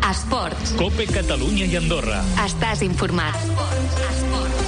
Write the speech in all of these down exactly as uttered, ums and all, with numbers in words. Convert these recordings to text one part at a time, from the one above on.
Esports. Cope Catalunya i Andorra. Estàs informat. Esports. Esports.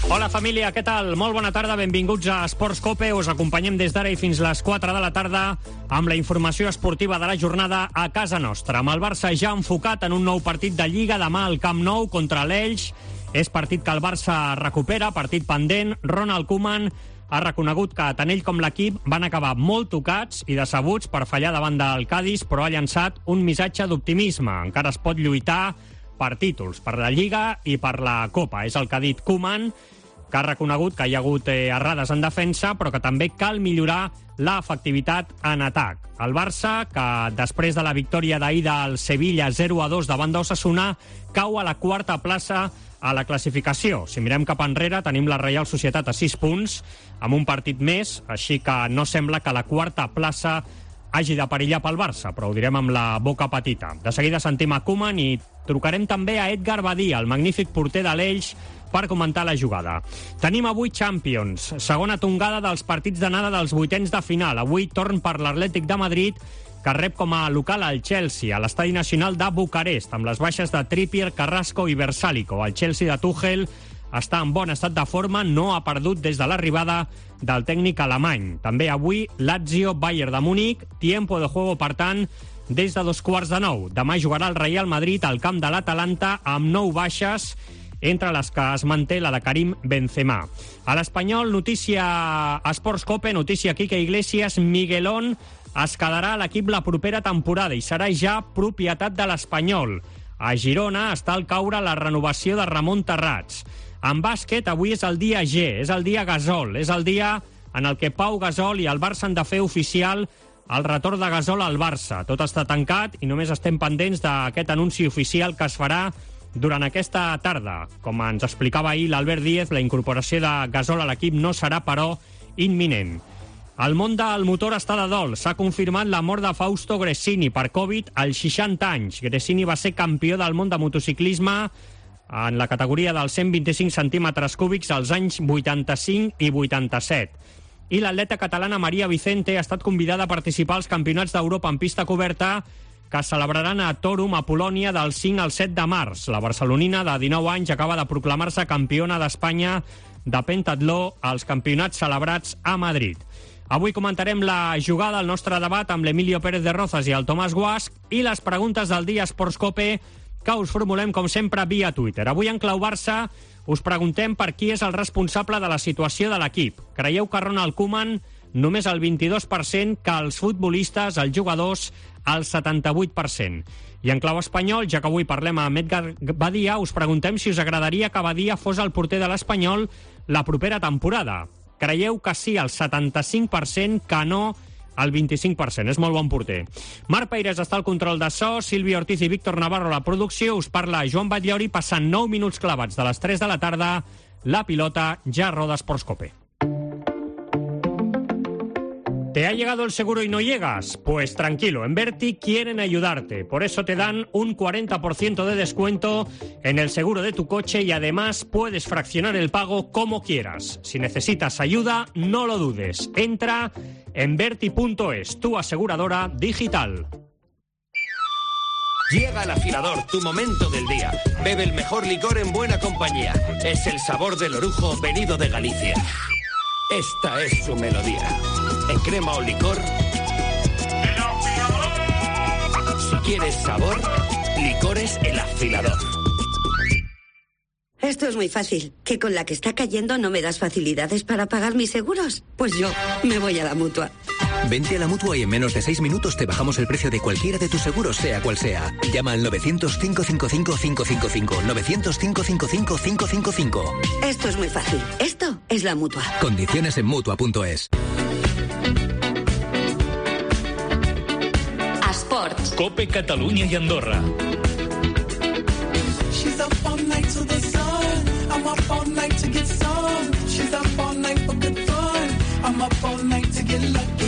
Hola família, què tal? Molt bona tarda, benvinguts a Esports Cope. Us acompanyem des d'ara i fins les quatre de la tarda amb la informació esportiva de la jornada a casa nostra. Amb el Barça ja enfocat en un nou partit de Lliga demà al Camp Nou contra l'Elx. És partit que el Barça recupera, partit pendent. Ronald Koeman ha reconegut que tant ell com l'equip van acabar molt tocats i decebuts per fallar davant del Cádiz, però ha llançat un missatge d'optimisme. Encara es pot lluitar per títols, per la Lliga i per la Copa. És el que ha dit Koeman, que ha reconegut que hi ha hagut eh, errades en defensa, però que també cal millorar l'efectivitat en atac. El Barça, que després de la victòria d'ahir del Sevilla zero a dos davant d'Osasuna, cau a la quarta plaça a la classificació. Si mirem cap enrere, tenim la Reial Societat a sis punts, amb un partit més, així que no sembla que la quarta plaça hagi de perillar pel Barça, però ho direm amb la boca petita. De seguida sentim a Koeman i trucarem també a Edgar Badia, el magnífic porter de l'Elx, per comentar la jugada. Tenim avui Champions, segona tongada dels partits d'anada dels vuitens de final. Avui torn per l'Atlètic de Madrid, que rep com a local al Chelsea, a l'Estadi Nacional de Bucarest, amb les baixes de Trippier, Carrasco i Versálico. El Chelsea de Tuchel està en bon estat de forma, no ha perdut des de l'arribada del tècnic alemany. També avui Lazio, Bayern de Múnich, tiempo de juego, per tant, des de dos quarts de nou. Demà jugarà el Real Madrid al camp de l'Atalanta amb nou baixes, entre les que es manté la de Karim Benzema. A l'Espanyol, notícia Esports Cope, notícia Quique Iglesias, Miguelón es quedarà a l'equip la propera temporada i serà ja propietat de l'Espanyol. A Girona està al caure la renovació de Ramon Terrats. En bàsquet, avui és el dia G, és el dia Gasol, és el dia en el que Pau Gasol i el Barça han de fer oficial el retorn de Gasol al Barça. Tot està tancat i només estem pendents d'aquest anunci oficial que es farà durant aquesta tarda. Com ens explicava ahir l'Albert Díez, la incorporació de Gasol a l'equip no serà, però, imminent. El món del motor està de dol. S'ha confirmat la mort de Fausto Gresini per Covid als seixanta anys. Gresini va ser campió del món de motociclisme en la categoria dels cent vint-i-cinc centímetres cúbics als anys vuitanta-cinc i vuitanta-set. I l'atleta catalana Maria Vicente ha estat convidada a participar als campionats d'Europa en pista coberta que es celebraran a Torum, a Polònia, del cinc al set de març. La barcelonina, de dinou anys, acaba de proclamar-se campiona d'Espanya de pentatló als campionats celebrats a Madrid. Avui comentarem la jugada, el nostre debat amb l'Emilio Pérez de Rozas i el Tomàs Guasch i les preguntes del dia Esports Cope que us formulem, com sempre, via Twitter. Avui en clau Barça us preguntem per qui és el responsable de la situació de l'equip. Creieu que Ronald Koeman només el vint-i-dos per cent, que els futbolistes, els jugadors, el setanta-vuit per cent. I en clau espanyol, ja que avui parlem amb Edgar Badia, us preguntem si us agradaria que Badia fos el porter de l'Espanyol la propera temporada. Creieu que sí, el setanta-cinc per cent, que no, el vint-i-cinc per cent. És molt bon porter. Marc Peires està al control de so, Sílvia Ortiz i Víctor Navarro a la producció. Us parla Joan Batllori, passant nou minuts clavats de les tres de la tarda. La pilota ja roda Esports Cope. ¿Te ha llegado el seguro y no llegas? Pues tranquilo, en Verti quieren ayudarte. Por eso te dan un cuarenta por ciento de descuento en el seguro de tu coche y además puedes fraccionar el pago como quieras. Si necesitas ayuda, no lo dudes. Entra en Verti punto es, tu aseguradora digital. Llega el afilador, tu momento del día. Bebe el mejor licor en buena compañía. Es el sabor del orujo venido de Galicia. Esta es su melodía. En crema o licor. Si quieres sabor, Licores El Afilador. Esto es muy fácil. ¿Que con la que está cayendo no me das facilidades para pagar mis seguros? Pues yo me voy a la Mutua. Vente a la Mutua y en menos de seis minutos te bajamos el precio de cualquiera de tus seguros, sea cual sea. Llama al novecientos, cinco cinco cinco, cinco cinco cinco. novecientos, cinco cinco cinco, cinco cinco cinco. Esto es muy fácil. Esto es la Mutua. Condiciones en Mutua punto es. Esports. Cope Catalunya i Andorra. She's up all night to the sun. I'm up all night to get some. She's up all night for good fun. I'm up all night to get lucky.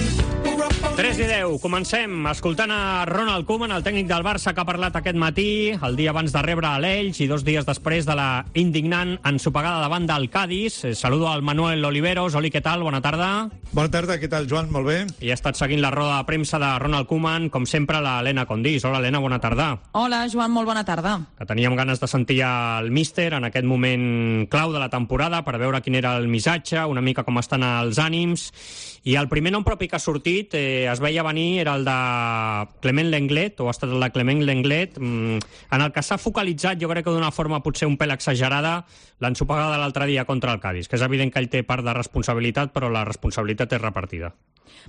tres i deu. Comencem escoltant a Ronald Koeman, el tècnic del Barça, que ha parlat aquest matí, el dia abans de rebre a l'Elx i dos dies després de la indignant ensopegada davant del Cádiz. Saludo al Manuel Oliveros. Oli, què tal? Bona tarda. Bona tarda, què tal, Joan? Molt bé. I ha estat seguint la roda de premsa de Ronald Koeman, com sempre, l'Helena Condís. Hola, Helena, bona tarda. Hola, Joan, molt bona tarda. Que teníem ganes de sentir el míster en aquest moment clau de la temporada per veure quin era el missatge, una mica com estan els ànims. I el primer nom propi que ha sortit, eh, es veia venir, era el de Clement Lenglet, o ha estat el de Clement Lenglet, mm, en el que s'ha focalitzat, jo crec que d'una forma potser un pèl exagerada, l'ensopegada de l'altre dia contra el Cádiz, que és evident que ell té part de responsabilitat, però la responsabilitat és repartida.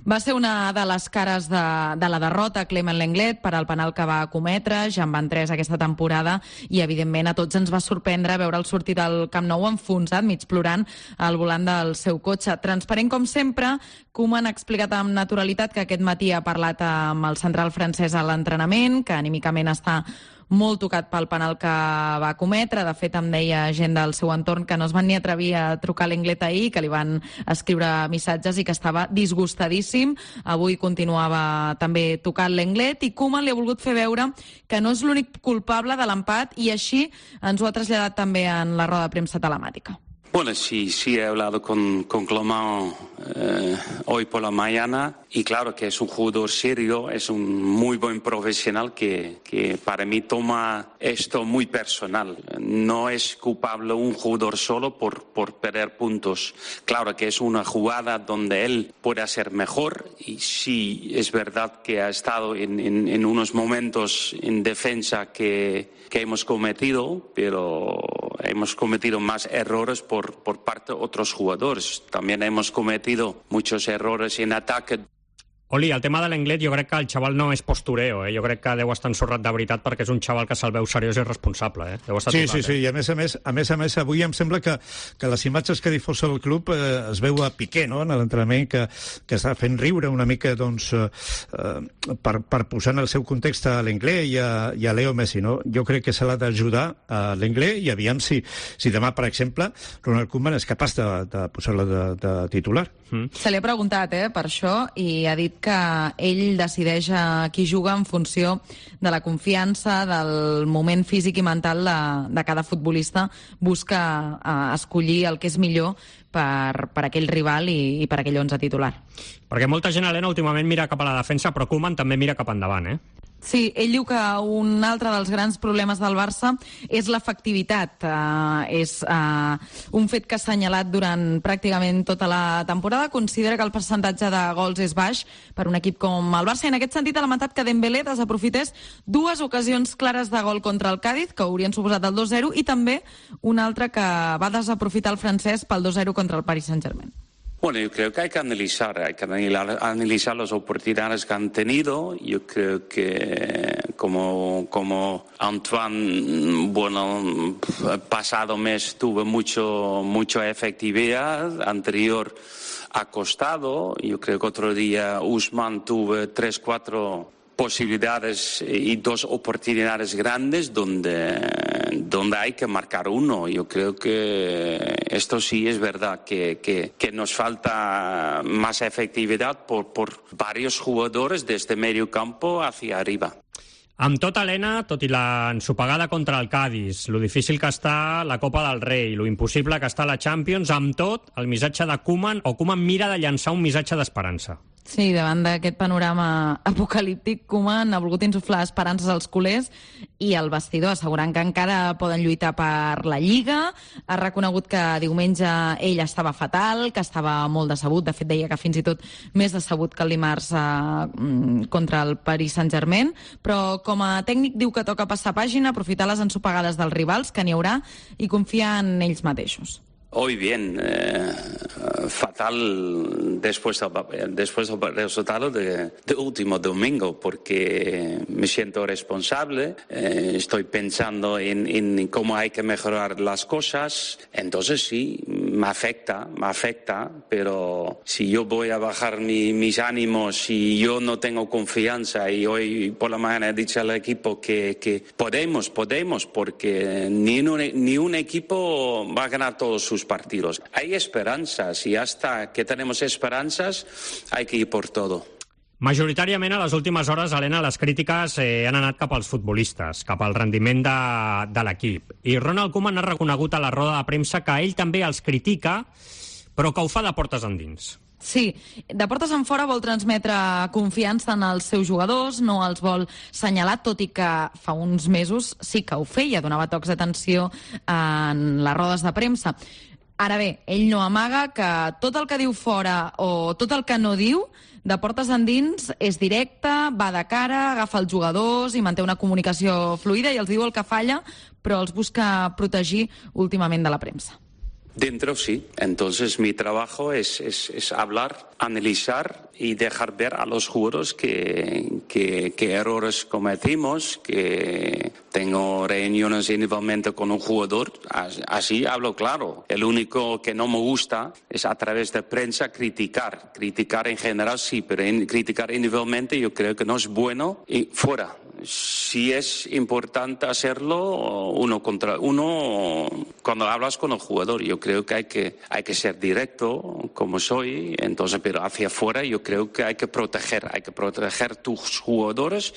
Va ser una de les cares de, de la derrota, Clement Lenglet, per al penal que va cometre, ja en van tres aquesta temporada, i evidentment a tots ens va sorprendre veure'l sortir del Camp Nou enfonsat, mig plorant, al volant del seu cotxe. Transparent com sempre, Koeman ha explicat amb naturalitat que aquest matí ha parlat amb el central francès a l'entrenament, que anímicament està molt tocat pel penal que va cometre. De fet, em deia gent del seu entorn que no es van ni atrevir a trucar a Lenglet ahir, que li van escriure missatges i que estava disgustadíssim. Avui continuava també tocant Lenglet i Koeman li ha volgut fer veure que no és l'únic culpable de l'empat i així ens ho ha traslladat també en la roda de premsa telemàtica. Bueno, sí, sí he hablado con, con Clement eh, hoy por la mañana y claro que es un jugador serio, es un muy buen profesional que, que para mí toma esto muy personal. No es culpable un jugador solo por, por perder puntos. Claro que es una jugada donde él puede hacer mejor y sí es verdad que ha estado en, en, en unos momentos en defensa que, que hemos cometido, pero hemos cometido más errores por por parte de otros jugadores. También hemos cometido muchos errores en ataque. Oli, el tema de l'Englet, jo crec que el xaval no és postureo, eh? Jo crec que deu estar ensorrat de veritat perquè és un xaval que se'l veu seriós i responsable, eh? Deu estar sí, tocat, sí, sí, eh? i a més a més, a més a més, avui em sembla que, que les imatges que difosa el club eh, es veu a Piqué, no?, en l'entrenament, que, que està fent riure una mica, doncs, eh, per, per posar en el seu context a l'Englet i, a, i a Leo Messi, no? Jo crec que se l'ha d'ajudar a l'Englet i aviam si, si demà, per exemple, Ronald Koeman és capaç de, de posar-la de, de titular. Mm. Se li ha preguntat, eh, per això, i ha dit que ell decideix a qui juga en funció de la confiança, del moment físic i mental de, de cada futbolista. Busca uh, escollir el que és millor per, per aquell rival i, i per aquell onze titular. Perquè molta gent, Helena, últimament mira cap a la defensa, però Koeman també mira cap endavant, eh? Sí, ell diu que un altre dels grans problemes del Barça és l'efectivitat. Uh, és uh, un fet que ha assenyalat durant pràcticament tota la temporada. Considera que el percentatge de gols és baix per un equip com el Barça. I en aquest sentit ha lamentat que Dembélé desaprofités dues ocasions clares de gol contra el Cádiz, que haurien suposat el dos zero, i també una altra que va desaprofitar el francès pel dos zero contra el Paris Saint-Germain. Bueno, yo creo que hay que analizar, hay que analizar las oportunidades que han tenido. Yo creo que como, como Antoine, bueno, pasado mes tuvo mucho, mucha efectividad, anterior ha costado. Yo creo que otro día Ousmane tuvo tres, cuatro posibilidades y dos oportunidades grandes donde, donde hay que marcar uno. Yo creo que esto sí es verdad, que, que, que nos falta más efectividad por, por varios jugadores desde medio campo hacia arriba. Amb tot, Helena, tot i l'ensopegada contra el Cádiz, lo difícil que està la Copa del Rei, lo impossible que està la Champions, amb tot, el missatge de Koeman, o Koeman mira de llançar un missatge d'esperança. Sí, davant d'aquest panorama apocalíptic, Koeman ha volgut insuflar esperances als culers i al vestidor, assegurant que encara poden lluitar per la Lliga. Ha reconegut que diumenge ell estava fatal, que estava molt decebut. De fet, deia que fins i tot més decebut que el dimarts eh, contra el Paris Saint-Germain. Però com a tècnic diu que toca passar pàgina, aprofitar les ensopegades dels rivals, que n'hi haurà, i confiar en ells mateixos. Hoy bien, eh, fatal después del, después del resultado de, de último domingo, porque me siento responsable, eh, estoy pensando en, en cómo hay que mejorar las cosas, entonces sí, me afecta, me afecta, pero si yo voy a bajar mi, mis ánimos y yo no tengo confianza, y hoy por la mañana he dicho al equipo que, que podemos, podemos, porque ni un, ni un equipo va a ganar todos sus partidos. Hay esperanzas y hasta que tenemos esperanzas hay que ir por todo. Majoritàriament a les últimes hores, Helena, les crítiques eh, han anat cap als futbolistes, cap al rendiment de, de l'equip. I Ronald Koeman ha reconegut a la roda de premsa que ell també els critica, però que ho fa de portes endins. Sí, de portes en fora vol transmetre confiança en els seus jugadors, no els vol senyalar, tot i que fa uns mesos sí que ho feia, donava tocs d'atenció en les rodes de premsa. Ara bé, ell no amaga que tot el que diu fora o tot el que no diu, de portes endins, és directe, va de cara, agafa els jugadors i manté una comunicació fluida i els diu el que falla, però els busca protegir últimament de la premsa. Dentro sí, entonces mi trabajo es, es, es hablar, analizar y dejar ver a los jugadores que, que, que errores cometimos, que tengo reuniones individualmente con un jugador, así hablo claro. El único que no me gusta es a través de prensa criticar, criticar en general sí, pero en, criticar individualmente yo creo que no es bueno y fuera. Si es importante hacerlo uno contra uno cuando hablas con el jugador. Yo creo que hay que hay que ser directo como soy, entonces, pero hacia afuera yo creo que hay que proteger, hay que proteger tus jugadores.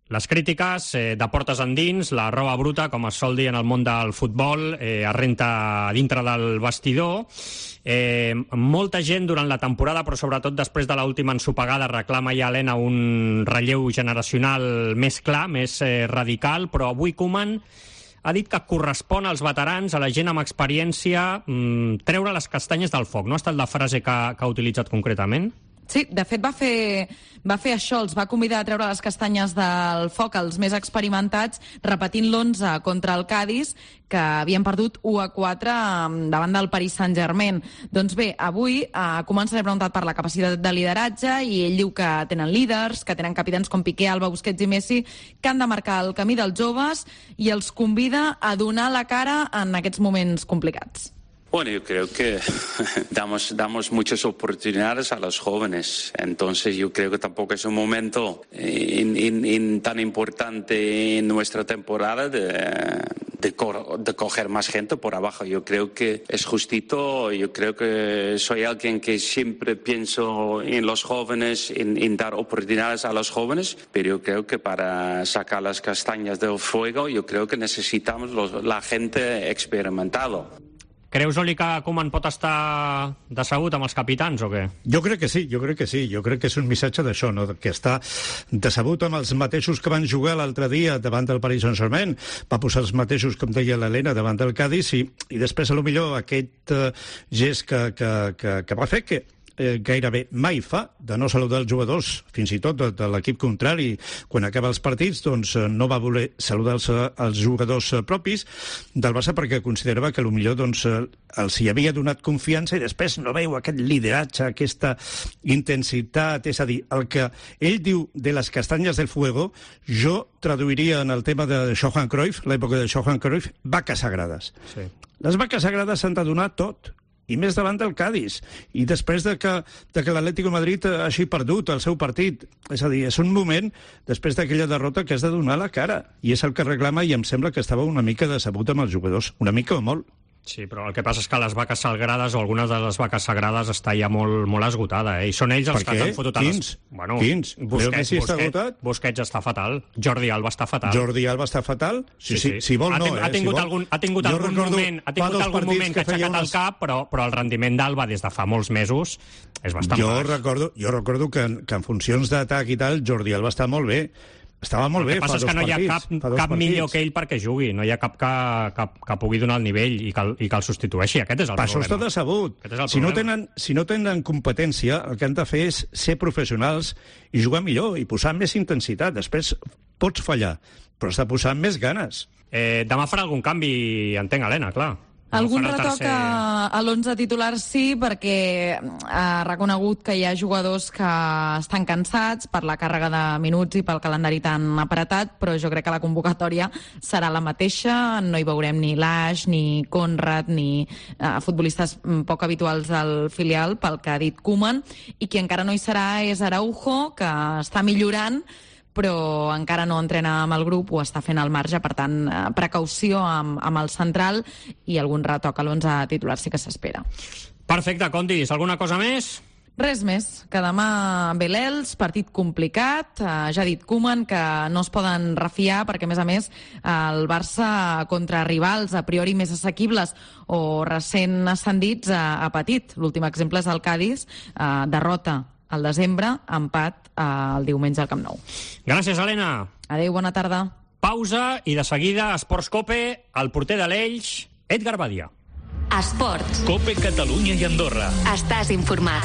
Les crítiques eh, de portes endins, la roba bruta, com es sol dir en el món del futbol, eh, es renta dintre del vestidor. Eh, molta gent durant la temporada, però sobretot després de l'última ensopegada, reclama ja, Helena, un relleu generacional més clar, més eh, radical, però avui Koeman ha dit que correspon als veterans, a la gent amb experiència, mmm, treure les castanyes del foc. No ha estat la frase que, que ha utilitzat concretament? Sí, de fet va fer, va fer això, els va convidar a treure les castanyes del foc als més experimentats, repetint l'onze contra el Cádiz, que havien perdut u a quatre davant del Paris Saint-Germain. Doncs bé, avui eh, Koeman se l'ha preguntat per la capacitat de lideratge i ell diu que tenen líders, que tenen capitans com Piqué, Alba, Busquets i Messi, que han de marcar el camí dels joves i els convida a donar la cara en aquests moments complicats. Bueno, yo creo que damos, damos muchas oportunidades a los jóvenes, entonces yo creo que tampoco es un momento in, in, in tan importante en nuestra temporada de, de, co de coger más gente por abajo. Yo creo que es justito, yo creo que soy alguien que siempre pienso en los jóvenes, en, en dar oportunidades a los jóvenes, pero yo creo que para sacar las castañas del fuego, yo creo que necesitamos los, la gente experimentada. Creus, Oli, que Koeman pot estar decebut amb els capitans o què? Jo crec que sí, jo crec que sí. Jo crec que és un missatge d'això, no? Que està decebut amb els mateixos que van jugar l'altre dia davant del Paris Saint-Germain. Va posar els mateixos, com deia l'Helena, davant del Cádiz i, i després, a lo millor, aquest uh, gest que, que, que, que va fer, que eh, gairebé mai fa, de no saludar els jugadors, fins i tot de, de l'equip contrari, quan acaba els partits, doncs eh, no va voler saludar els, els jugadors eh, propis del Barça perquè considerava que potser doncs, eh, els hi havia donat confiança i després no veu aquest lideratge, aquesta intensitat, és a dir, el que ell diu de les castanyes del fuego, jo traduiria en el tema de Johan Cruyff, l'època de Johan Cruyff, vaques sagrades. Sí. Les vaques sagrades s'han de donar tot, i més davant del Cádiz, i després de que, de que l'Atlético de Madrid hagi perdut el seu partit. És a dir, és un moment, després d'aquella derrota, que has de donar la cara, i és el que reclama, i em sembla que estava una mica decebut amb els jugadors, una mica o molt. Sí, però el que passa és que les vaques sagrades o algunes de les vaques sagrades està ja molt, molt esgotada, eh? I són ells els que han fotut a les... Quins? Bueno, Quins? Busquets, Messi està Busquets, agotat? Busquets està fatal. Jordi Alba està fatal. Jordi Alba està fatal? Sí, sí, sí. Si vol, ha no, ten, eh? Ha tingut si algun, ha tingut algun moment, ha tingut algun moment que ha aixecat unes... el cap, però, però el rendiment d'Alba des de fa molts mesos és bastant jo baix. Recordo, jo recordo que en, que en funcions d'atac i tal, Jordi Alba està molt bé. Estava molt bé fa dos partits. El que passa és que no hi ha cap, cap millor que ell perquè jugui. No hi ha cap que, que, que pugui donar el nivell i que, i que el substitueixi. Aquest és el per problema. Per això està decebut. Si no, tenen, si no tenen competència, el que han de fer és ser professionals i jugar millor i posar més intensitat. Després pots fallar, però has de posar més ganes. Eh, demà farà algun canvi, entenc, Helena, clar. Algun retoc a, a l'onze titular sí, perquè ha reconegut que hi ha jugadors que estan cansats per la càrrega de minuts i pel calendari tan apretat, però jo crec que la convocatòria serà la mateixa. No hi veurem ni Lash, ni Conrad, ni uh, futbolistes poc habituals del filial, pel que ha dit Koeman, i qui encara no hi serà és Araujo, que està millorant, però encara no entrena amb el grup, ho està fent al marge, per tant, precaució amb, amb el central i algun retoc a l'onze titular sí que s'espera. Perfecte, Condis, alguna cosa més? Res més, que demà ve l'Elx, partit complicat. Eh, ja ha dit Koeman que no es poden refiar perquè, a més a més, el Barça contra rivals a priori més assequibles o recent ascendits ha, ha patit. L'últim exemple és el Cádiz, eh, derrota al desembre, empat eh, el diumenge al Camp Nou. Gràcies, Helena. Adéu, bona tarda. Pausa i de seguida Esports Cope, el porter de l'Elx, Edgar Badia. Esports. Cope Catalunya i Andorra. Estàs informat.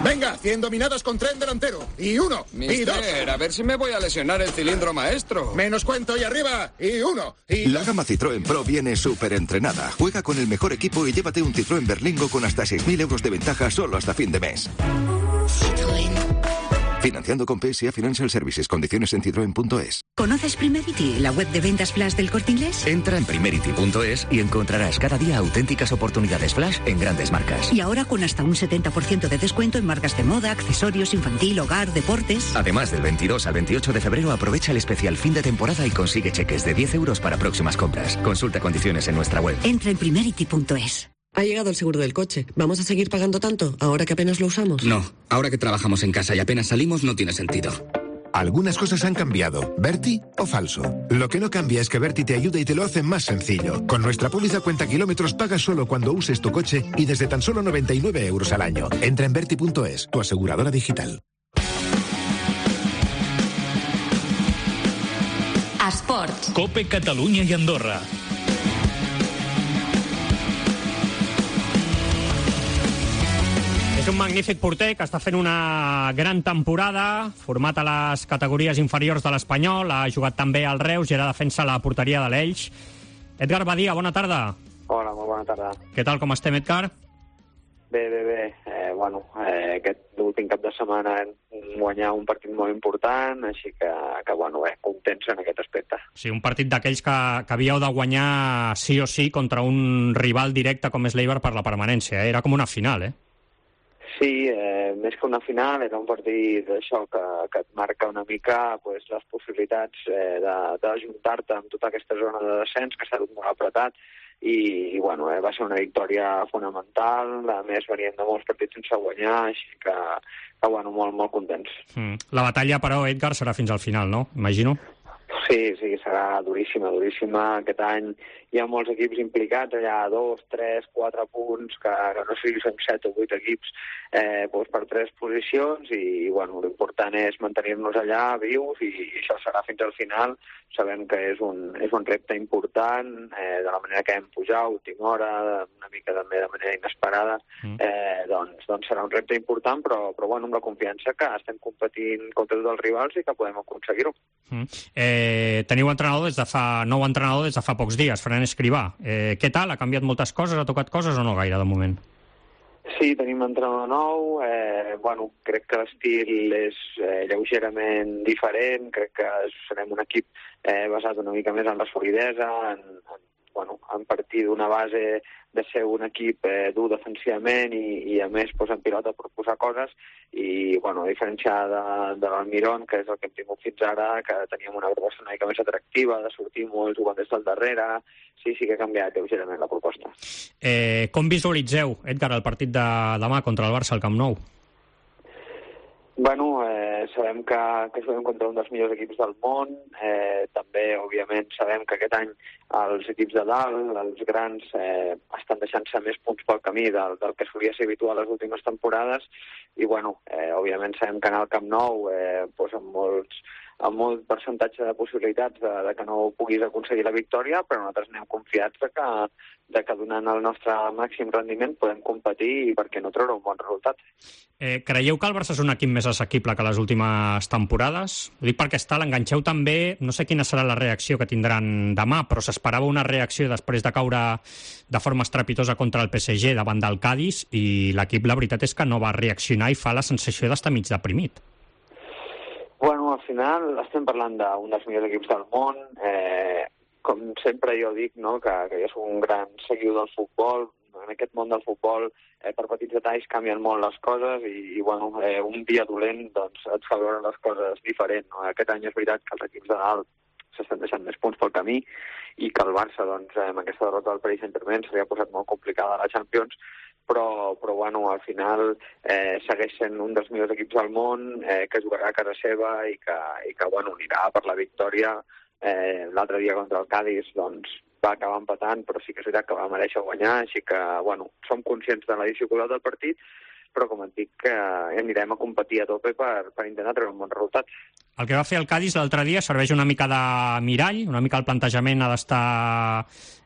Venga, cien dominadas con tren delantero. Y uno, y dos. Mister, a ver si me voy a lesionar el cilindro maestro. Menos cuento y arriba. Y uno, y La gama Citroën Pro viene súper entrenada. Juega con el mejor equipo y llévate un Citroën Berlingo con hasta seis mil euros de ventaja solo hasta fin de mes. Citroën. Financiando con P S A Financial Services. Condiciones en citroen punto es. ¿Conoces Primerity, la web de ventas flash del Corte Inglés? Entra en primerity punto es y encontrarás cada día auténticas oportunidades flash en grandes marcas. Y ahora con hasta un setenta por ciento de descuento en marcas de moda, accesorios, infantil, hogar, deportes. Además, del veintidós al veintiocho de febrero aprovecha el especial fin de temporada y consigue cheques de diez euros para próximas compras. Consulta condiciones en nuestra web. Entra en primerity punto es. Ha llegado el seguro del coche. ¿Vamos a seguir pagando tanto ahora que apenas lo usamos? No, ahora que trabajamos en casa y apenas salimos no tiene sentido. Algunas cosas han cambiado. ¿Berti o falso? Lo que no cambia es que Berti te ayuda y te lo hace más sencillo. Con nuestra póliza cuenta kilómetros pagas solo cuando uses tu coche y desde tan solo noventa y nueve euros al año. Entra en berti punto es, tu aseguradora digital. Esports. Cope Catalunya i Andorra. És un magnífic porter que està fent una gran temporada, format a les categories inferiors de l'Espanyol, ha jugat també al Reus i ara defensa la porteria de l'Elx. Edgar Badia, bona tarda. Hola, molt bona tarda. Què tal, com estem, Edgar? Bé, bé, bé. Eh, bueno, eh, aquest últim cap de setmana hem guanyat un partit molt important, així que, que bueno, bé, contents en aquest aspecte. Sí, un partit d'aquells que, que havíeu de guanyar sí o sí contra un rival directe com és l'Eibar per la permanència. Eh? Era com una final, eh? Sí, eh, més que una final, era un partit d'això que, que et marca una mica pues, les possibilitats eh, d'ajuntar-te amb tota aquesta zona de descens que s'ha dut molt apretat i, i bueno, eh, va ser una victòria fonamental, a més venien de molts partits sense guanyar, així que, que bueno, molt, molt contents. Mm. La batalla, però, Edgar, serà fins al final, no? Imagino. Sí, sí, serà duríssima, duríssima. Aquest any hi ha molts equips implicats, allà dos, tres, quatre punts, que, que no sé si són set o vuit equips eh, doncs per tres posicions i, i bueno, l'important és mantenir-nos allà vius i, i això serà fins al final. Sabem que és un, és un repte important, eh, de la manera que hem pujat, última hora, una mica també de manera inesperada, eh, doncs, doncs serà un repte important, però, però bueno, amb la confiança que estem competint contra tots els rivals i que podem aconseguir-ho. Mm. Eh, teniu entrenador des de fa, nou entrenador des de fa pocs dies, Fran Escrivà. Eh, què tal? Ha canviat moltes coses? Ha tocat coses o no gaire, de moment? Sí, tenim entrenador nou. Eh, bueno, crec que l'estil és eh, lleugerament diferent. Crec que serem un equip eh, basat una mica més en la solidesa, en, en, bueno, en partir d'una base de ser un equip eh, dur defensivament i, i a més pues, en pilota per posar coses i bueno, a diferència de, de l'Almirón, que és el que hem tingut fins ara, que teníem una proposta una mica més atractiva, de sortir molt jugant des del darrere, sí, sí que ha canviat lleugerament la proposta. Eh, com visualitzeu, Edgar, el partit de demà contra el Barça al Camp Nou? Bueno, eh, sabem que, que juguem contra un dels millors equips del món. Eh, també, òbviament, sabem que aquest any els equips de dalt, els grans, eh, estan deixant-se més punts pel camí del, del que solia ser habitual les últimes temporades. I, bueno, eh, òbviament sabem que anar al Camp Nou, eh, doncs amb molts amb molt percentatge de possibilitats de, de que no puguis aconseguir la victòria, però nosaltres anem confiats de que, de que donant el nostre màxim rendiment podem competir i per què no treure un bon resultat. Eh, creieu que el Barça és un equip més assequible que les últimes temporades? Ho dic perquè està, l'enganxeu també, no sé quina serà la reacció que tindran demà, però s'esperava una reacció després de caure de forma estrepitosa contra el P S G davant del Cádiz i l'equip, la veritat és que no va reaccionar i fa la sensació d'estar mig deprimit. Bueno, al final estem parlant d'un dels millors equips del món. Eh, com sempre jo dic, no, que, que jo soc un gran seguidor del futbol. En aquest món del futbol, eh, per petits detalls canvien molt les coses i, i bueno, eh, un dia dolent doncs, et fa veure les coses diferent. No? Aquest any és veritat que els equips de dalt s'estan deixant més punts pel camí i que el Barça, doncs, amb aquesta derrota del Paris Saint-Germain, s'havia posat molt complicada a la Champions, però, però bueno, al final eh, segueix sent un dels millors equips del món, eh, que jugarà a casa seva i que, i que bueno, anirà per la victòria. Eh, l'altre dia contra el Cádiz doncs, va acabar empatant, però sí que és veritat que va mereixer guanyar, així que bueno, som conscients de la dificultat del partit, però com et dic, que anirem a competir a tope per, per intentar treure un bon resultat. El que va fer el Cádiz l'altre dia serveix una mica de mirall, una mica el plantejament ha d'estar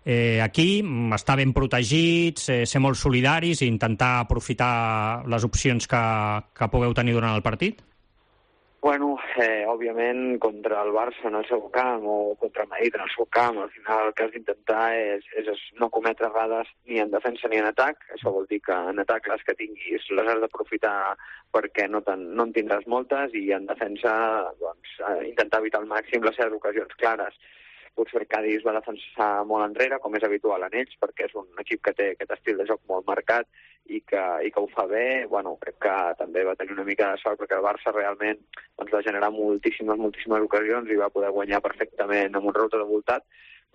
eh, aquí, estar ben protegits, eh, ser molt solidaris i intentar aprofitar les opcions que, que pugueu tenir durant el partit? Bueno, eh, òbviament, contra el Barça en el seu camp o contra el Madrid en el seu camp, al final el que has d'intentar és, és no cometre errades ni en defensa ni en atac. Això vol dir que en atac les que tinguis les has d'aprofitar perquè no, no en tindràs moltes, i en defensa doncs, intentar evitar al màxim les seves ocasions clares. Potser el Cádiz va defensar molt enrere, com és habitual en ells, perquè és un equip que té aquest estil de joc molt marcat i que, i que ho fa bé. Bueno, crec que també va tenir una mica de sort perquè el Barça realment doncs, va generar moltíssimes, moltíssimes ocasions i va poder guanyar perfectament amb un route de voltat,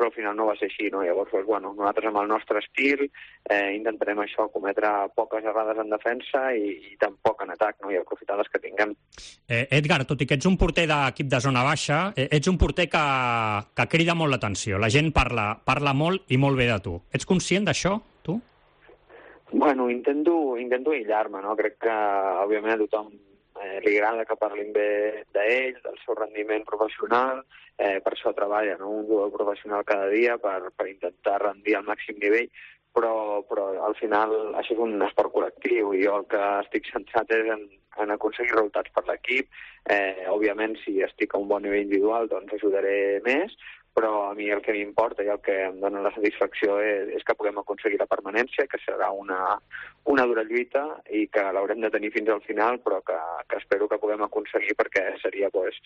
però al final no va ser així, no? Llavors, doncs, bueno, nosaltres amb el nostre estil eh, intentarem això, cometre poques errades en defensa i, i tampoc en atac, no? I aprofitar les que tinguem. Eh, Edgar, tot i que ets un porter d'equip de zona baixa, eh, ets un porter que, que crida molt l'atenció. La gent parla, parla molt i molt bé de tu. Ets conscient d'això, tu? Bueno, intento, intento aïllar-me, no? Crec que, òbviament, a tothom eh, li agrada que parlin bé d'ell, del seu rendiment professional, eh, per això treballa, no? Un jugador professional cada dia per, per intentar rendir al màxim nivell, però, però al final això és un esport col·lectiu i jo el que estic centrat és en, en aconseguir resultats per l'equip. Eh, òbviament, si estic a un bon nivell individual, doncs ajudaré més, però a mi el que m'importa i el que em dona la satisfacció és, és que puguem aconseguir la permanència, que serà una, una dura lluita i que l'haurem de tenir fins al final, però que, que espero que puguem aconseguir perquè seria pues,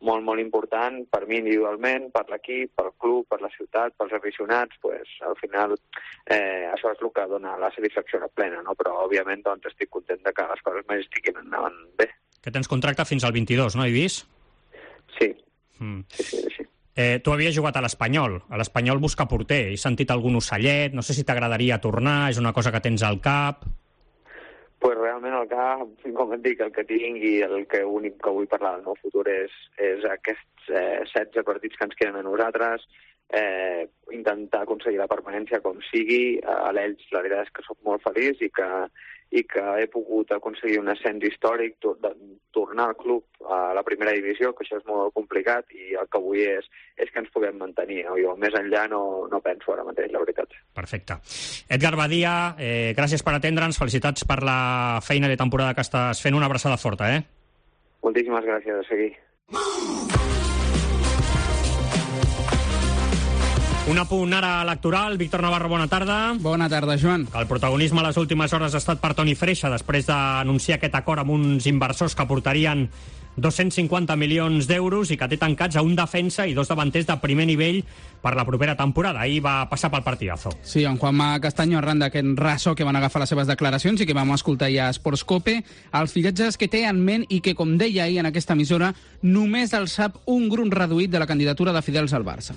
molt, molt important per mi individualment, per l'equip, pel club, per la ciutat, pels aficionats. Pues, al final eh, això és el que dona la satisfacció plena, no? Però òbviament doncs, estic content de que les coses més estiguin endavant bé. Que tens contracte fins al vint-i-dos, no, he vist? Sí, mm. sí, sí, sí. Eh, tu havies jugat a l'Espanyol. A l'Espanyol busca porter. He sentit algun ocellet. No sé si t'agradaria tornar. És una cosa que tens al cap. Pues realment el cap, com et dic, el que tinc i el que únic que vull parlar del meu futur és, és aquests eh, setze partits que ens queden a nosaltres, eh, intentar aconseguir la permanència com sigui. A l'Elx la veritat és que soc molt feliç i que, i que he pogut aconseguir un ascens històric, to, de, tornar al club a la primera divisió, que això és molt complicat, i el que vull és, és que ens puguem mantenir. No? Jo més enllà no, no penso ara mateix, la veritat. Perfecte. Edgar Badia, eh, gràcies per atendre'ns, felicitats per la feina de temporada que estàs fent, una abraçada forta, eh? Moltíssimes gràcies, a seguir. Un apunt ara electoral. Víctor Navarro, bona tarda. Bona tarda, Joan. El protagonisme a les últimes hores ha estat per Toni Freixa, després d'anunciar aquest acord amb uns inversors que portarien dos-cents cinquanta milions d'euros i que té tancats a un defensa i dos davanters de primer nivell per la propera temporada. Ahir va passar pel partidazo. Sí, en Juanma Castaño, arran d'aquest ressò que van agafar les seves declaracions i que vam escoltar ja a Sports Cope, els fiatges que té en ment i que, com deia ahir en aquesta emissora, només el sap un grup reduït de la candidatura de Fidels al Barça.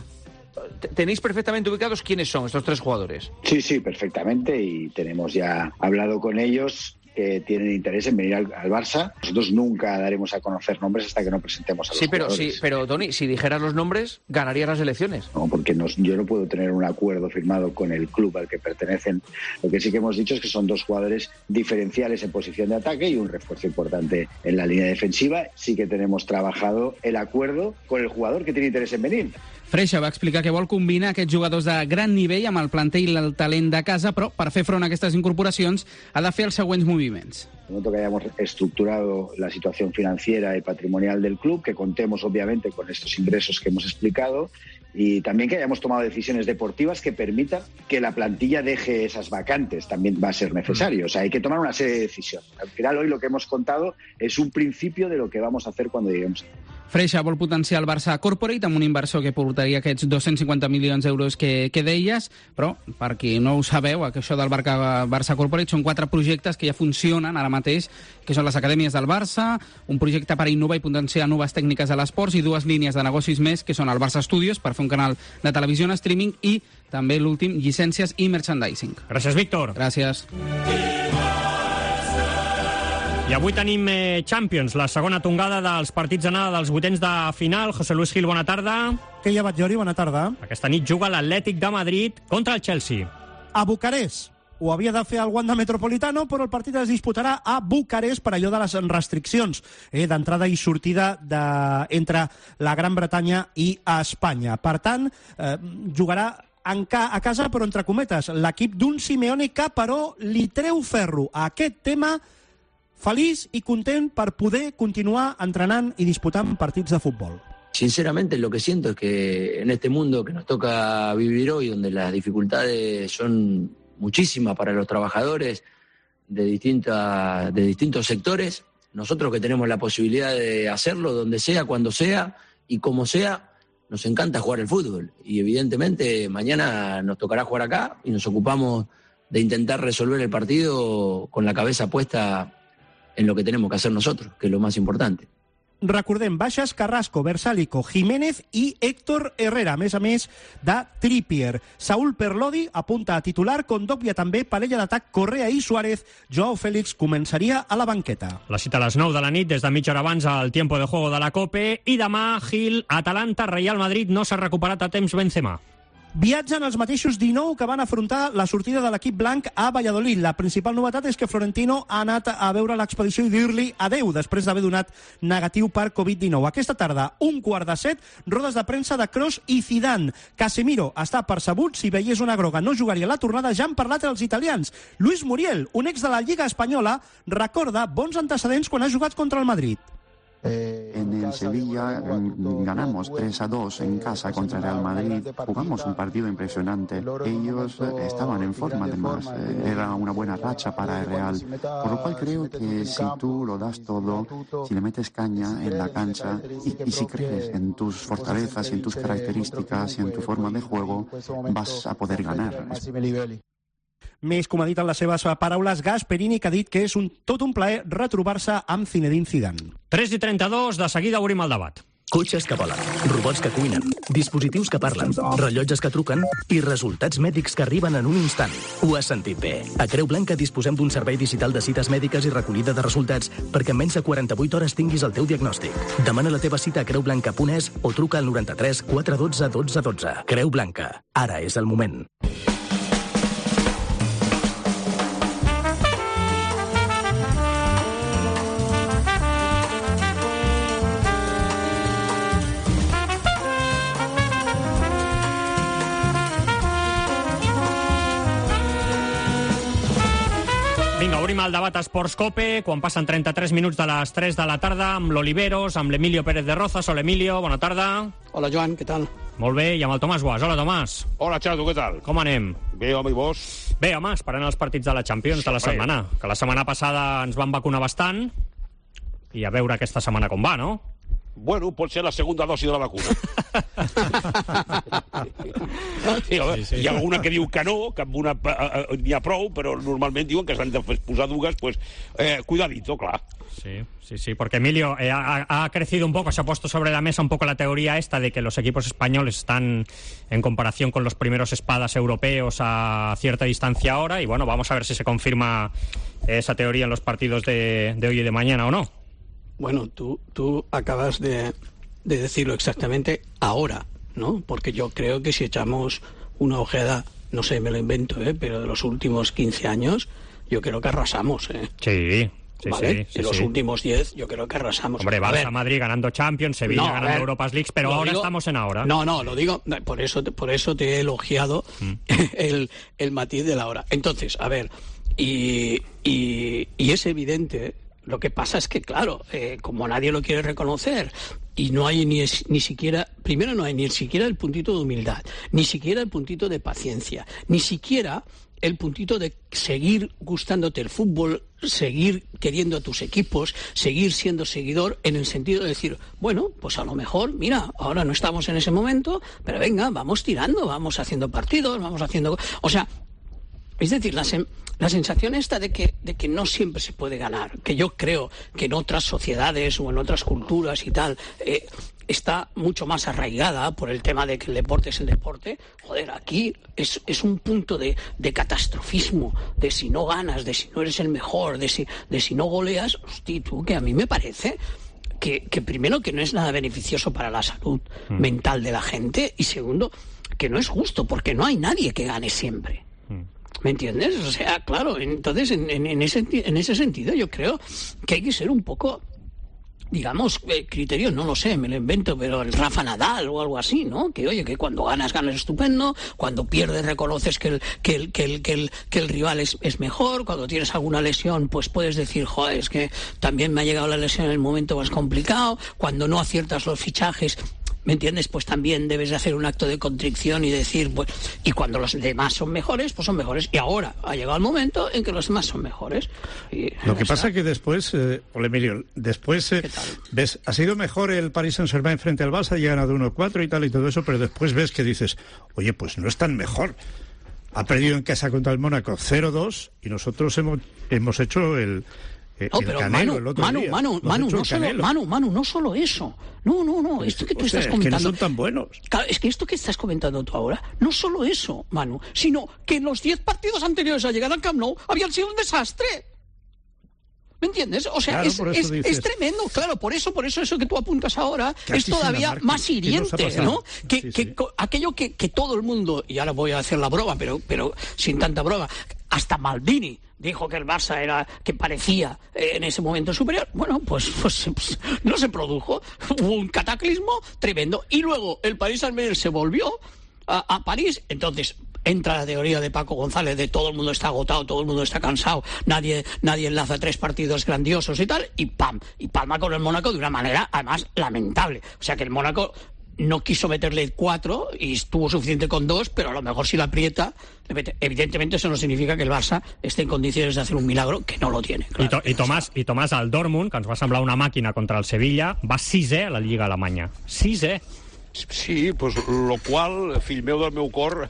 ¿Tenéis perfectamente ubicados quiénes son estos tres jugadores? Sí, sí, perfectamente, y tenemos ya hablado con ellos que tienen interés en venir al, al Barça. Nosotros nunca daremos a conocer nombres hasta que no presentemos a los sí, pero, jugadores. Sí, pero Toni, si dijeras los nombres, ganarías las elecciones. No, porque nos, yo no puedo tener un acuerdo firmado con el club al que pertenecen. Lo que sí que hemos dicho es que son dos jugadores diferenciales en posición de ataque y un refuerzo importante en la línea defensiva. Sí que tenemos trabajado el acuerdo con el jugador que tiene interés en venir. Freixa va explicar que vol combinar aquests jugadors de gran nivell amb el planter i el talent de casa, però per fer front a aquestes incorporacions ha de fer els següents moviments. En el momento que hayamos estructurado la situación financiera y patrimonial del club, que contemos obviamente con estos ingresos que hemos explicado, y también que hayamos tomado decisiones deportivas que permitan que la plantilla deje esas vacantes, también va a ser necesario. O sea, hay que tomar una serie de decisiones. Al final, hoy lo que hemos contado es un principio de lo que vamos a hacer cuando lleguemos. Freixa vol potenciar el Barça Corporate amb un inversor que portaria aquests dos-cents cinquanta milions d'euros que, que deies, però, per qui no ho sabeu, això del Barça, Barça Corporate són quatre projectes que ja funcionen ara mateix, que són les acadèmies del Barça, un projecte per innovar i potenciar noves tècniques a l'esports i dues línies de negocis més, que són el Barça Studios, per fer un un canal de televisió en streaming, i també l'últim, llicències i merchandising. Gràcies, Víctor. Gràcies. I avui tenim eh, Champions, la segona tongada dels partits d'anada dels vuitens de final. José Luis Gil, bona tarda. Què hi ha, Batllori? Bona tarda. Aquesta nit juga l'Atlètic de Madrid contra el Chelsea. A Bucarest. Ho havia de fer al Wanda Metropolitano, però el partit es disputarà a Bucarest per allò de les restriccions eh, d'entrada i sortida de, entre la Gran Bretanya i Espanya. Per tant, eh, jugarà en ca, a casa, però entre cometes, l'equip d'un Simeone que, però, li treu ferro a aquest tema, feliç i content per poder continuar entrenant i disputant partits de futbol. Sinceramente, lo que siento es que en este mundo que nos toca vivir hoy, donde las dificultades son muchísimas para los trabajadores de, distintas, de distintos sectores, nosotros que tenemos la posibilidad de hacerlo donde sea, cuando sea y como sea, nos encanta jugar el fútbol. Y evidentemente mañana nos tocará jugar acá y nos ocupamos de intentar resolver el partido con la cabeza puesta en lo que tenemos que hacer nosotros, que es lo más importante. Recordem, baixes Carrasco, Versálico, Jiménez i Héctor Herrera, a més a més de Trippier. Saúl Perlodi apunta a titular, Kondogbia també, parella d'atac Correa i Suárez. Joao Félix començaria a la banqueta. La cita a les nou de la nit, des de mitja hora abans al tiempo de juego de la Cope. I demà, Gil, Atalanta, Real Madrid, no s'ha recuperat a temps Benzema. Viatgen els mateixos dinou que van afrontar la sortida de l'equip blanc a Valladolid. La principal novetat és que Florentino ha anat a veure l'expedició i dir-li adeu després d'haver donat negatiu per covid dinou. Aquesta tarda, un quart de set, rodes de premsa de Kroos i Zidane. Casemiro està percebut, si veiés una groga no jugaria la tornada. Ja han parlat els italians. Luis Muriel, un ex de la Lliga Espanyola, recorda bons antecedents quan ha jugat contra el Madrid. En el Sevilla ganamos tres a dos en casa contra el Real Madrid. Jugamos un partido impresionante. Ellos estaban en forma, además. Era una buena racha para el Real. Por lo cual creo que si tú lo das todo, si le metes caña en la cancha y, y si crees en tus fortalezas y en tus características y en tu forma de juego, vas a poder ganar. Més, com ha dit en les seves paraules, Gasperini, que ha dit que és un, tot un plaer retrobar-se amb Zinedine Zidane. tres i trenta-dos, de seguida obrim el debat. Cotxes que volen, robots que cuinen, dispositius que parlen, rellotges que truquen i resultats mèdics que arriben en un instant. Ho has sentit bé. A Creu Blanca disposem d'un servei digital de cites mèdiques i recollida de resultats perquè en menys de quaranta-vuit hores tinguis el teu diagnòstic. Demana la teva cita a creu blanca punt es o truca al noranta-tres quatre cents i dotze dotze dotze. Creu Blanca. Ara és el moment. Vinga, obrim el debat a Esports Cope, quan passen trenta-tres minuts de les tres de la tarda, amb l'Oliveros, amb l'Emilio Pérez de Rozas. Hola, Emilio, bona tarda. Hola, Joan, què tal? Molt bé, i amb el Tomàs Guas. Hola, Tomàs. Hola, Xato, què tal? Com anem? Bé, home, i vos? Bé, home, esperant els partits de la Champions sí, de la setmana, que la setmana passada ens van vacunar bastant, i a veure aquesta setmana com va, no? Bueno, pot ser la segunda dosi de la vacuna. sí, sí, sí. Hi ha alguna que diu que no, que amb una uh, n'hi ha prou, però normalment diuen que s'han de posar dues, pues, eh, cuidadito, clar. Sí, sí, sí, porque Emilio eh, ha, ha crecido un poco, se ha puesto sobre la mesa un poco la teoría esta de que los equipos españoles están en comparación con los primeros espadas europeos a cierta distancia ahora, y bueno, vamos a ver si se confirma esa teoría en los partidos de, de hoy y de mañana o no. Bueno, tú, tú acabas de, de decirlo exactamente ahora, ¿no? Porque yo creo que si echamos una ojeada, no sé, me lo invento, ¿eh? Pero de los últimos quince años, yo creo que arrasamos, ¿eh? Sí, sí, ¿vale? sí. sí de los sí. últimos diez, yo creo que arrasamos. Hombre, Barça, Madrid ganando Champions, Sevilla no, ganando ver, Europa League, pero ahora digo, estamos en ahora. No, no, lo digo, por eso, por eso te he elogiado mm. el, el matiz de la hora. Entonces, a ver, y, y, y es evidente. Lo que pasa es que, claro, eh, como nadie lo quiere reconocer y no hay ni, ni siquiera, primero no hay ni siquiera el puntito de humildad, ni siquiera el puntito de paciencia, ni siquiera el puntito de seguir gustándote el fútbol, seguir queriendo a tus equipos, seguir siendo seguidor en el sentido de decir, bueno, pues a lo mejor, mira, ahora no estamos en ese momento, pero venga, vamos tirando, vamos haciendo partidos, vamos haciendo... O sea, Es decir, la, sen, la sensación esta de que, de que no siempre se puede ganar, que yo creo que en otras sociedades o en otras culturas y tal eh, está mucho más arraigada por el tema de que el deporte es el deporte. Joder, aquí es, es un punto de, de catastrofismo, de si no ganas, de si no eres el mejor, de si, de si no goleas. Hostia, tú, que a mí me parece que, que primero que no es nada beneficioso para la salud mm. mental de la gente, y segundo, que no es justo, porque no hay nadie que gane siempre. ¿Me entiendes? O sea, claro, entonces en, en, en, ese, en ese sentido yo creo que hay que ser un poco, digamos, eh, criterio, no lo sé, me lo invento, pero el Rafa Nadal o algo así, ¿no? Que oye, que cuando ganas, ganas estupendo, cuando pierdes reconoces que el, que el, que el, que el, que el rival es, es mejor, cuando tienes alguna lesión, pues puedes decir, joder, es que también me ha llegado la lesión en el momento más complicado, cuando no aciertas los fichajes, ¿me entiendes? Pues también debes de hacer un acto de contrición y decir, pues, y cuando los demás son mejores, pues son mejores. Y ahora ha llegado el momento en que los demás son mejores. Y, Lo que pasa es que después, eh, Hola Emilio, después, eh, ves, ha sido mejor el Paris Saint-Germain frente al Barça, y ha ganado uno cuatro y tal y todo eso, pero después ves que dices, oye, pues no es tan mejor. Ha perdido en casa contra el Mónaco cero dos y nosotros hemos, hemos hecho el... No, pero Canelo, Manu, Manu, día. Manu, Manu, no solo, Manu, Manu, no solo eso. No, no, no, esto que tú o sea, estás comentando... Es que no son tan buenos. Claro, es que esto que estás comentando tú ahora, no solo eso, Manu, sino que los diez partidos anteriores a llegar al Camp Nou habían sido un desastre. ¿Me entiendes? O sea, claro, es, es, es tremendo, claro, por eso, por eso eso que tú apuntas ahora es todavía más hiriente, ¿no? Que, sí, que sí. aquello que, que todo el mundo, y ahora voy a hacer la broma, pero, pero sin tanta broma, hasta Maldini dijo que el Barça era, que parecía eh, en ese momento superior. Bueno, pues, pues, pues no se produjo, hubo un cataclismo tremendo, y luego el Paris Saint-Germain se volvió a, a París, entonces entra la teoría de Paco González de todo el mundo está agotado, todo el mundo está cansado, nadie, nadie enlaza tres partidos grandiosos y tal, y pam, y palma con el Mónaco de una manera además lamentable. O sea que el Mónaco no quiso meterle cuatro y estuvo suficiente con dos, pero a lo mejor si la aprieta, le mete. Evidentemente eso no significa que el Barça esté en condiciones de hacer un milagro, que no lo tiene. Claro. I, to, i, Tomàs, I Tomàs, el Dortmund, que ens va semblar una màquina contra el Sevilla, va sisè a la Lliga Alemanya. Sisè. Sí, pues, lo qual, fill meu del meu cor,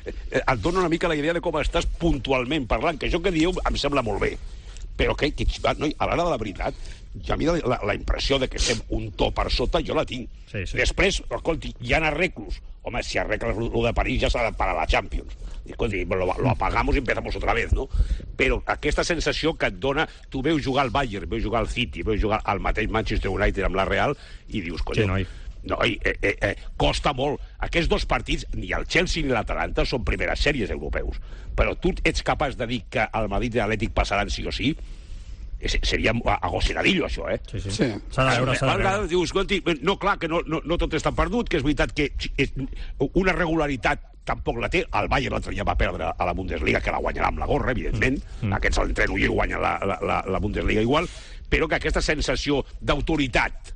et dona una mica la idea de com estàs puntualment parlant, que això que dieu em sembla molt bé, però que, que no, a l'hora de la veritat, ja a mi la, la impressió de que estem un to per sota jo la tinc. Sí, sí. Després, escolti, hi ha arreglos. Home, si arregles lo de París ja s'ha de parar la Champions. Escolti, lo, lo apagamos i empezamos otra vez, no? Però aquesta sensació que et dona... Tu veus jugar al Bayern, veus jugar al City, veus jugar al mateix Manchester United amb la Real i dius, coño... Sí, noi. No, eh, eh, eh, costa molt. Aquests dos partits, ni el Chelsea ni l'Atalanta, són primeres sèries europeus. Però tu ets capaç de dir que el Madrid i l'Atlètic passaran sí o sí? Seria agosseradillo, això, eh? Sí, sí. sí. S'ha de veure, s'ha de veure. Dius, escolti, no, clar, que no, no, no tot està perdut, que és veritat que una regularitat tampoc la té. El Bayern l'altre dia va perdre a la Bundesliga, que la guanyarà amb la gorra, evidentment. Mm. Aquests l'entreno i guanyen la, la, la Bundesliga igual. Però que aquesta sensació d'autoritat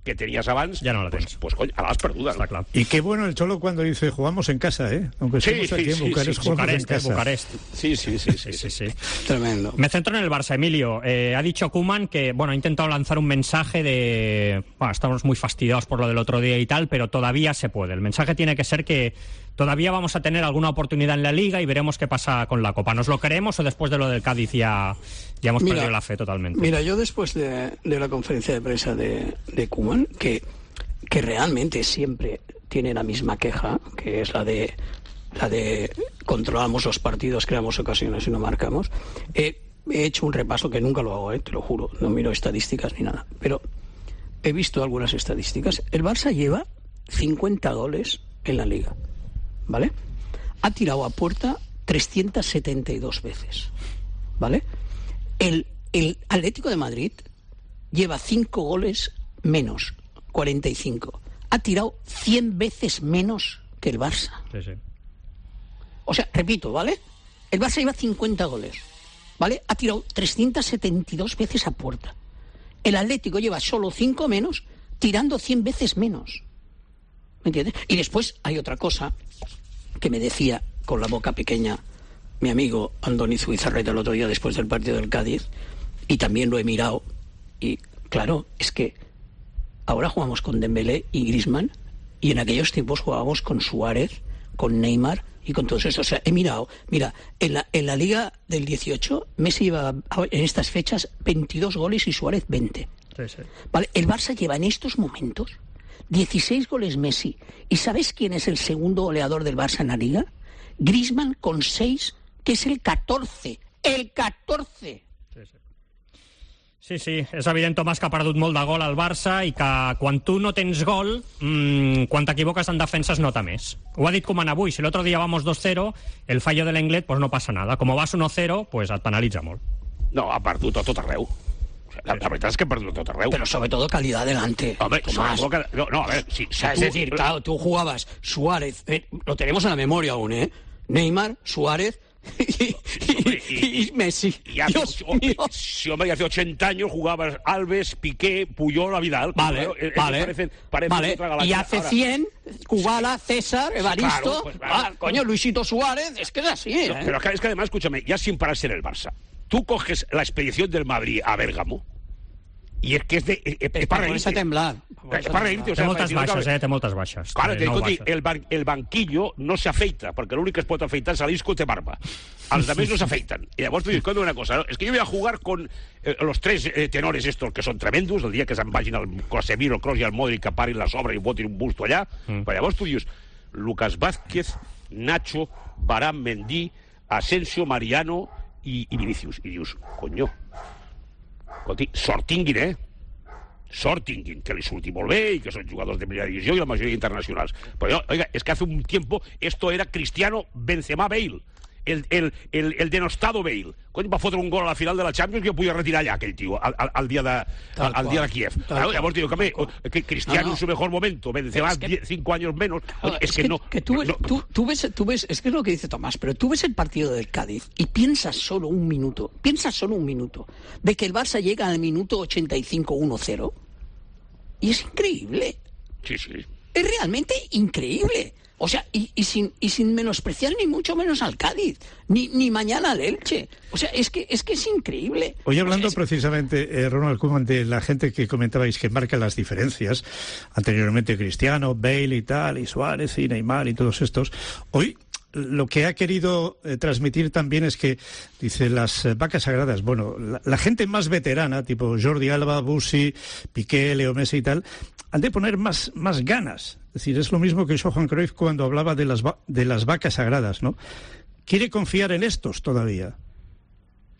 que tenías abans, ya no la pues, pues coño, a las perdudas. Está claro. Y qué bueno el Cholo cuando dice jugamos en casa, ¿eh? Aunque sí, estemos aquí sí, en Bucarest, sí, jugamos Bucarest, en casa. Bucarest. Sí, sí, sí, sí, sí, sí, sí. Tremendo. Me centro en el Barça, Emilio. Eh, ha dicho Koeman que, bueno, ha intentado lanzar un mensaje de, bueno, estamos muy fastidiados por lo del otro día y tal, pero todavía se puede. El mensaje tiene que ser que todavía vamos a tener alguna oportunidad en la Liga y veremos qué pasa con la Copa. ¿Nos lo creemos o después de lo del Cádiz ya, ya hemos mira, perdido la fe totalmente? Mira, yo después de, de la conferencia de prensa de, de Koeman, que que realmente siempre tiene la misma queja, que es la de la de controlamos los partidos, creamos ocasiones y no marcamos. Eh, he hecho un repaso que nunca lo hago, eh, te lo juro, no miro estadísticas ni nada, pero he visto algunas estadísticas. El Barça lleva cincuenta goles en la Liga, ¿vale? Ha tirado a puerta trescientas setenta y dos veces, ¿vale? El, el Atlético de Madrid lleva cinco goles menos, cuarenta y cinco. Ha tirado cien veces menos que el Barça. Sí, sí. O sea, repito, ¿vale? El Barça lleva cincuenta goles, ¿vale? Ha tirado trescientas setenta y dos veces a puerta. El Atlético lleva solo cinco menos, tirando cien veces menos. ¿Me entiendes? Y después hay otra cosa que me decía con la boca pequeña mi amigo Andoni Zubizarreta el otro día después del partido del Cádiz, y también lo he mirado, y claro, es que ahora jugamos con Dembélé y Griezmann, y en aquellos tiempos jugábamos con Suárez, con Neymar y con todos estos. O sea, he mirado, mira, en la, en la Liga del dieciocho, Messi lleva en estas fechas veintidós goles y Suárez veinte. Sí, sí. Vale, el Barça lleva en estos momentos dieciséis goles Messi. ¿Y sabes quién es el segundo goleador del Barça en la Liga? Griezmann con seis, que es el catorce. ¡El catorce! Sí, sí. Sí, sí, és evident, Tomàs, que ha perdut molt de gol al Barça i que quan tu no tens gol, mmm, quan t'equivoques en defensa es nota més. Ho ha dit Koeman avui, si l'altre dia vamos dos cero, el fallo de l'Englet, pues no passa nada. Como vas uno cero, pues et penalitza molt. No, ha perdut a tot arreu. La, la verdad es que ha perdido todo arreu. Pero sobre todo calidad delante. Hombre, Tomás. sobre todo, no, no, a ver, si, si es tú... decir, claro, tú jugabas Suárez, eh, lo tenemos en la memoria aún, ¿eh? Neymar, Suárez y, y, y, y Messi. Y hace, Dios oh, mío. Si, hombre, hace ochenta años jugabas Alves, Piqué, Puyol, Vidal. Vale, Claro, eh, vale, parecen, parecen vale. otra galaxia. Y hace Ahora, cien, Kubala, César, Evaristo, claro, pues, claro. ah, coño, Luisito Suárez, es que es así, ¿eh? No, pero es que además, escúchame, ya sin pararse en el Barça, tú coges la expedición del Madrid a Bérgamo y es que es de... Es, es, es para reírte. a temblar. Es para reírte. O sea, Té moltes si no baixes, cabe- eh? Té moltes baixes. Claro, Té te nou digo, baixes. el, ban- el banquillo no se afeita, porque lo único que es puede afeitar es al disco te barba. A los demás no se afeitan. Y además te digo una cosa, ¿no? Es que yo voy a jugar con eh, los tres eh, tenores estos que son tremendos, el día que se'n vagin al Casemiro, el Kroos i el Modric, que parin la sobra i botin un busto allà, mm. però llavors tu dius Lucas Vázquez, Nacho, Varane, Mendy, Asensio, Mariano i, i Vinicius. I dius, coño, escolti, sort tinguin, eh? Sort tinguin, que li surti molt bé i que són jugadors de primera divisió i la majoria internacionals. Però jo, oiga, es que hace un tiempo esto era Cristiano Benzema Bale, el, el, el, el denostado Bale. Cony, va fotre un gol a la final de la Champions que jo podia retirar allà, aquell tio, al, al, al, dia, de, al, al dia de Kiev. Claro, llavors digo, que, que Cristiano no, no. en su mejor momento, Benzema es que, diez, cinco años menos, no, es, es que, que no... Que tú, ves, no, tú, tú, ves, tú ves, es que es lo que dice Tomás, pero tú ves el partido del Cádiz y piensas solo un minuto, piensas solo un minuto, de que el Barça llega al minuto ochenta y cinco uno cero. Y es increíble. Sí, sí. Es realmente increíble. O sea, y, y, sin, y sin menospreciar ni mucho menos al Cádiz, ni, ni mañana al Elche. O sea, es que es, que es increíble. Hoy hablando o sea, es... precisamente, eh, Ronald Koeman, de la gente que comentabais que marca las diferencias, anteriormente Cristiano, Bale y tal, y Suárez y Neymar y todos estos, hoy... Lo que ha querido eh, transmitir también es que, dice, las eh, vacas sagradas, bueno, la, la gente más veterana, tipo Jordi Alba, Bussi, Piqué, Leo Messi y tal, han de poner más, más ganas. Es decir, es lo mismo que Johan Cruyff cuando hablaba de las, va- de las vacas sagradas, ¿no? Quiere confiar en estos todavía.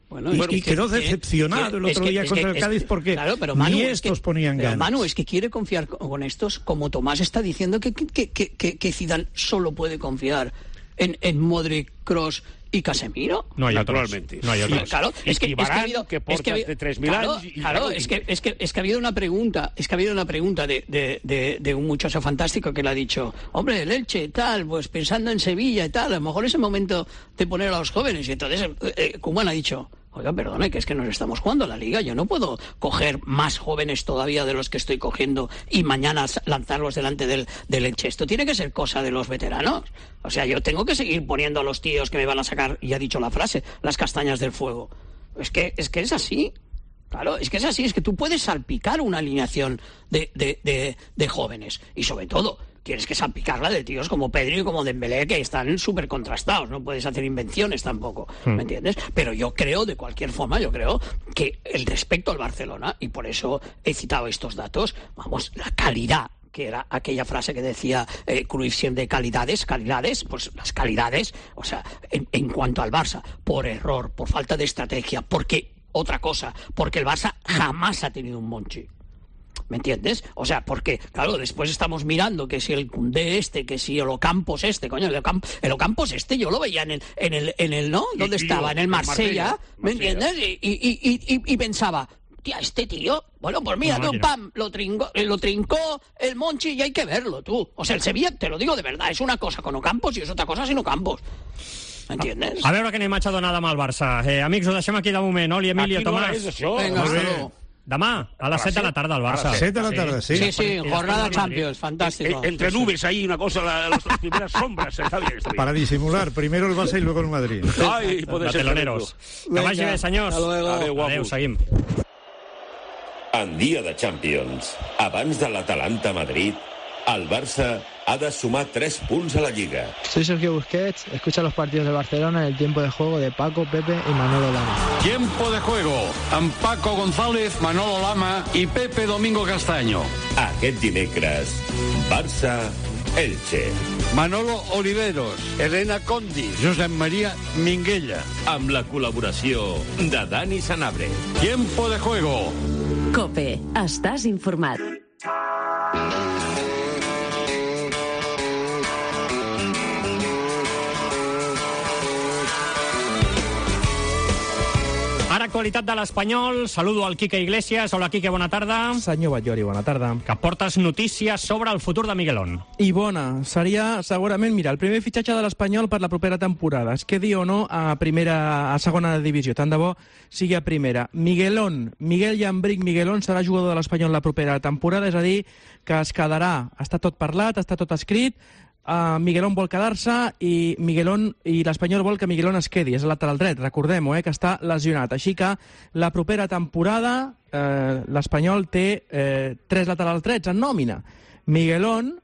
Bueno, y, bueno, y que, quedó que, decepcionado que, el otro que, día contra que, el Cádiz porque claro, pero Manu, ni es estos que, ponían pero ganas. Manu, es que quiere confiar con, con estos, como Tomás está diciendo que, que, que, que, que Zidane solo puede confiar en, en Modric, Kroos y Casemiro. No hay Naturalmente. otros. No hay otros. Claro, es que, y es que ha Varane, habido, que es porta que ha habido- de tres mil claro, años. y- claro, y- es que es que es que ha habido una pregunta, es que ha habido una pregunta de, de, de, de un muchacho fantástico que le ha dicho, hombre, el Elche tal, pues pensando en Sevilla y tal, a lo mejor es el momento de poner a los jóvenes. Y entonces eh, eh, Koeman ha dicho, oiga, perdone, que es que nos estamos jugando la Liga, yo no puedo coger más jóvenes todavía de los que estoy cogiendo y mañana lanzarlos delante del, del Elche. Esto tiene que ser cosa de los veteranos. O sea, yo tengo que seguir poniendo a los tíos que me van a sacar, y ha dicho la frase, las castañas del fuego. Es que es, que es así. Claro, es que es así, es que tú puedes salpicar una alineación de, de, de, de jóvenes. Y sobre todo, tienes que salpicarla de tíos como Pedri y como Dembélé, que están súper contrastados. No puedes hacer invenciones tampoco, ¿me entiendes? Pero yo creo, de cualquier forma, yo creo que el respecto al Barcelona, y por eso he citado estos datos, vamos, la calidad, que era aquella frase que decía eh, Cruyff siempre, calidades, calidades, pues las calidades, o sea, en, en cuanto al Barça, por error, por falta de estrategia, porque, otra cosa, porque el Barça jamás ha tenido un Monchi. ¿Me entiendes? O sea, porque, claro, después estamos mirando que si el Koundé este, que si el Ocampos este, coño, el, Ocamp- el Ocampos este yo lo veía en el, en el, en el ¿no? ¿Dónde Y- y estaba? yo, En el en Marsella, Marsella, ¿me Marsella. entiendes? Y, y, y, y, y pensaba, tía, este tío, bueno, pues mira, Una tú, máquina. pam, lo, trinco, eh, lo trincó el Monchi y hay que verlo, tú. O sea, el Sevilla, te lo digo de verdad, es una cosa con Ocampos y es otra cosa sin Ocampos. ¿Entiendes? A veure que anem a donada amb el Barça. Eh, amics, ho deixem aquí de moment. Oli, Emilio, Aquí no Tomàs. és això. Venga, Molt bé. hasta luego. Demà, a les set de la tarda, al Barça. A las set de la tarde, sí. Sí, sí, jornada Madrid. Champions, fantástico. Eh, entre nubes ahí, una cosa, la, las, las primeras sombras. Está bien, está bien. Para disimular, primero el Barça y luego el Madrid. Ai, puede ser Barceloneros. Que Venga, vagi bé, senyors. hasta luego. Adéu, guapos. Adéu, seguim. En dia de Champions, abans de l'Atalanta-Madrid, el Barça ha de sumar tres punts a la Lliga. Soy Sergio Busquets, escucha los partidos del Barcelona en el tiempo de juego de Paco, Pepe y Manolo Lama. Tiempo de juego amb Paco González, Manolo Lama i Pepe Domingo Castaño. Aquest dimecres, Barça, Elche. Manolo Oliveros, Elena Condi, Josep María Minguella. Amb la col·laboració de Dani Sanabria. Tiempo de juego. COPE. Estàs informat. Ara, actualitat de l'Espanyol. Saludo al Quique Iglesias. Hola, Quique, bona tarda. Senyor Batllori, bona tarda. Que portes notícies sobre el futur de Miguelón. I bona. Seria, segurament, mira, el primer fitxatge de l'Espanyol per la propera temporada. Es quedi o no a primera, a segona divisió. Tant de bo sigui a primera. Miguelón, Miguel Llambric Miguelón serà jugador de l'Espanyol la propera temporada, és a dir, que es quedarà. Està tot parlat, està tot escrit. Uh, Miguelón vol quedar-se i Miguelón i l'Espanyol vol que Miguelón es quedi, és el lateral dret, recordem-ho, eh, que està lesionat. Així que la propera temporada eh, l'Espanyol té eh, tres laterals drets en nòmina. Miguelón,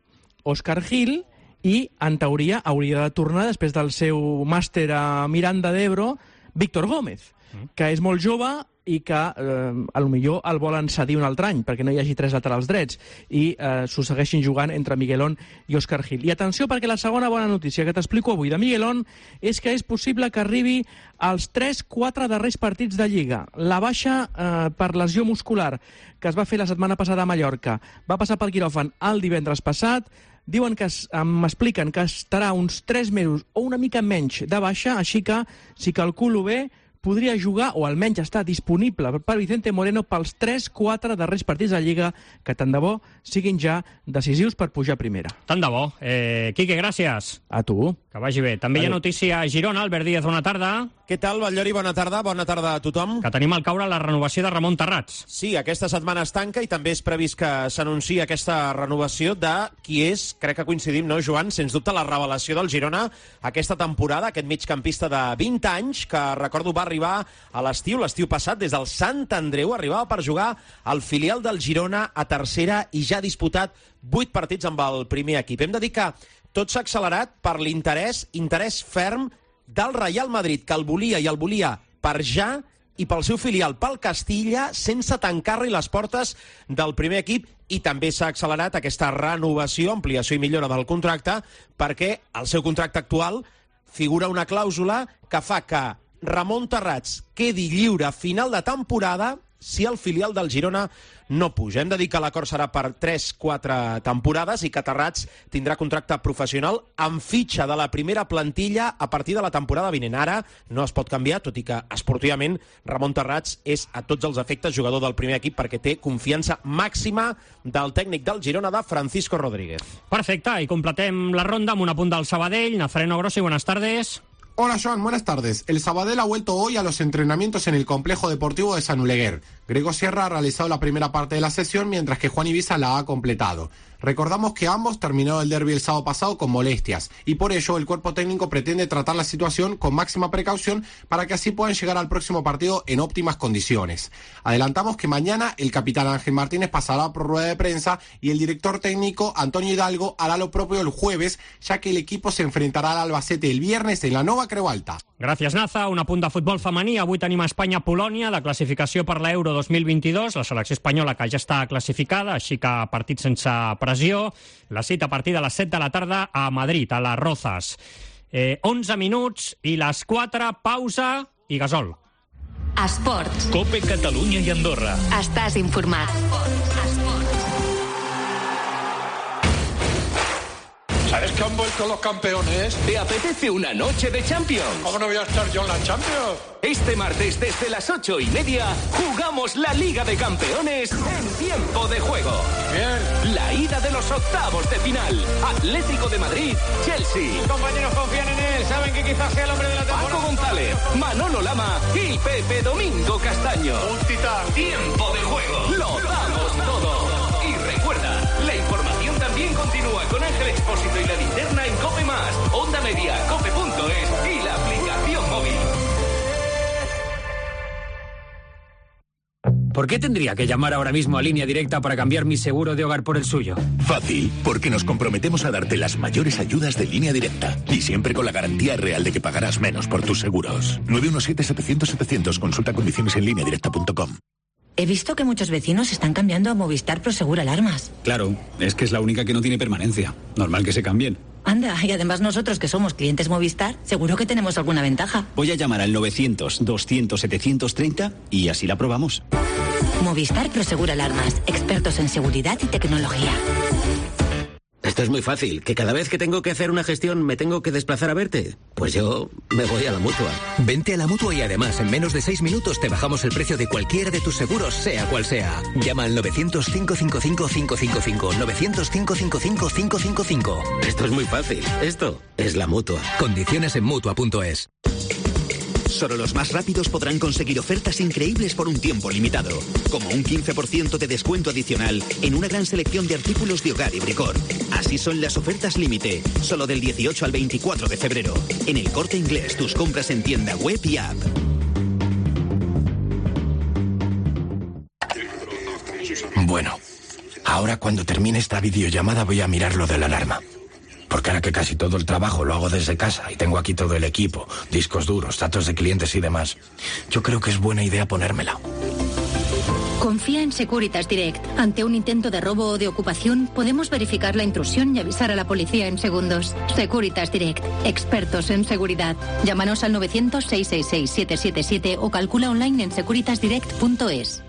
Òscar Gil i, en teoria, hauria de tornar després del seu màster a Miranda d'Ebro, Víctor Gómez, que és molt jove i que eh, a lo millor el volen cedir un altre any perquè no hi hagi tres laterals drets i eh, s'ho segueixin jugant entre Miguelón i Òscar Gil. I atenció, perquè la segona bona notícia que t'explico avui de Miguelón és que és possible que arribi als tres quatre darrers partits de Lliga. La baixa eh, per lesió muscular que es va fer la setmana passada a Mallorca va passar pel quiròfan el divendres passat. Diuen que m'expliquen que estarà uns tres mesos o una mica menys de baixa, així que, si calculo bé, podria jugar, o almenys està disponible per Vicente Moreno pels tres quatre darrers partits de Lliga, que tant de bo siguin ja decisius per pujar a primera. Tant de bo. Eh, Quique, gràcies. A tu. Que vagi bé. També hi ha notícia a Girona. Albert Díaz, bona tarda. Què tal, Batllori? Bona tarda. Bona tarda a tothom. Que tenim al caure la renovació de Ramon Terrats. Sí, aquesta setmana es tanca i també és previst que s'anunciï aquesta renovació de qui és, crec que coincidim, no, Joan? Sens dubte la revelació del Girona aquesta temporada, aquest migcampista de vint anys, que recordo va arribar a l'estiu, l'estiu passat, des del Sant Andreu, arribava per jugar al filial del Girona a tercera i ja ha disputat vuit partits amb el primer equip. Hem de dir que tot s'ha accelerat per l'interès, interès ferm del Real Madrid, que el volia i el volia per ja, i pel seu filial, pel Castilla, sense tancar-li les portes del primer equip. I també s'ha accelerat aquesta renovació, ampliació i millora del contracte, perquè al seu contracte actual figura una clàusula que fa que Ramon Terrats quedi lliure a final de temporada si el filial del Girona no puja. Hem de dir que l'acord serà per tres quatre temporades i que Terrats tindrà contracte professional amb fitxa de la primera plantilla a partir de la temporada vinent. Ara no es pot canviar, tot i que esportivament Ramon Terrats és a tots els efectes jugador del primer equip perquè té confiança màxima del tècnic del Girona, de Francisco Rodríguez. Perfecte, i completem la ronda amb un apunt del Sabadell. Nazareno Grossi, buenas tardes. Hola Joan, buenas tardes. El Sabadell ha vuelto hoy a los entrenamientos en el complejo deportivo de San Oleguer. Grego Sierra ha realizado la primera parte de la sesión, mientras que Juan Ibiza la ha completado. Recordamos que ambos terminaron el derbi el sábado pasado con molestias, y por ello el cuerpo técnico pretende tratar la situación con máxima precaución para que así puedan llegar al próximo partido en óptimas condiciones. Adelantamos que mañana el capitán Ángel Martínez pasará por rueda de prensa y el director técnico Antonio Hidalgo hará lo propio el jueves, ya que el equipo se enfrentará al Albacete el viernes en la Nova Creu Alta. Gràcies, Naza. Un apunt de futbol femení. Avui tenim a Espanya-Polònia, la classificació per l'Euro dos mil vint-i-dos, la selecció espanyola que ja està classificada, així que partit sense pressió. La cita a partir de les set de la tarda a Madrid, a les Rozas. Eh, onze minuts i les quatre, pausa i gasol. Esports. COPE Catalunya i Andorra. Estàs informat. ¿Sabes que han vuelto los campeones? ¿Te apetece una noche de Champions? ¿Cómo no voy a estar yo en la Champions? Este martes desde las ocho y media jugamos la Liga de Campeones en tiempo de juego. Bien. La ida de los octavos de final. Atlético de Madrid, Chelsea. Sus compañeros confían en él, saben que quizás sea el hombre de la temporada. Paco González, Manolo Lama y Pepe Domingo Castaño. Un titán. Tiempo de juego. Lo damos todo. Y recuerda, la información también continúa con Ángel Expósito y la linterna en COPE Más, Onda Media, cope punto es y la aplicación móvil. ¿por qué tendría que llamar ahora mismo a Línea Directa para cambiar mi seguro de hogar por el suyo? Fácil, porque nos comprometemos a darte las mayores ayudas de Línea Directa. Y siempre con la garantía real de que pagarás menos por tus seguros. nueve uno siete, setecientos, setecientos. Consulta condiciones en línea directa punto com. He visto que muchos vecinos están cambiando a Movistar Prosegur Alarmas. Claro, es que es la única que no tiene permanencia. Normal que se cambien. Anda, y además nosotros que somos clientes Movistar, seguro que tenemos alguna ventaja. Voy a llamar al novecientos, doscientos, setecientos treinta y así la probamos. Movistar Prosegur Alarmas, expertos en seguridad y tecnología. Esto es muy fácil, que cada vez que tengo que hacer una gestión me tengo que desplazar a verte. Pues yo me voy a la Mutua. Vente a la Mutua y además en menos de seis minutos te bajamos el precio de cualquiera de tus seguros, sea cual sea. Llama al novecientos, cinco cinco cinco, cinco cinco cinco, novecientos, cinco cinco cinco, cinco cinco cinco. Esto es muy fácil, esto es la Mutua. Condiciones en Mutua punto es. Solo los más rápidos podrán conseguir ofertas increíbles por un tiempo limitado, como un quince por ciento de descuento adicional en una gran selección de artículos de hogar y bricor. Así son las ofertas límite, solo del dieciocho al veinticuatro de febrero. En El Corte Inglés, tus compras en tienda web y app. Bueno, ahora cuando termine esta videollamada voy a mirar lo de la alarma. Porque ahora que casi todo el trabajo lo hago desde casa y tengo aquí todo el equipo, discos duros, datos de clientes y demás, yo creo que es buena idea ponérmela. Confía en Securitas Direct. Ante un intento de robo o de ocupación, podemos verificar la intrusión y avisar a la policía en segundos. Securitas Direct. Expertos en seguridad. Llámanos al novecientos, seiscientos sesenta y seis, setecientos setenta y siete o calcula online en securitas direct punto es.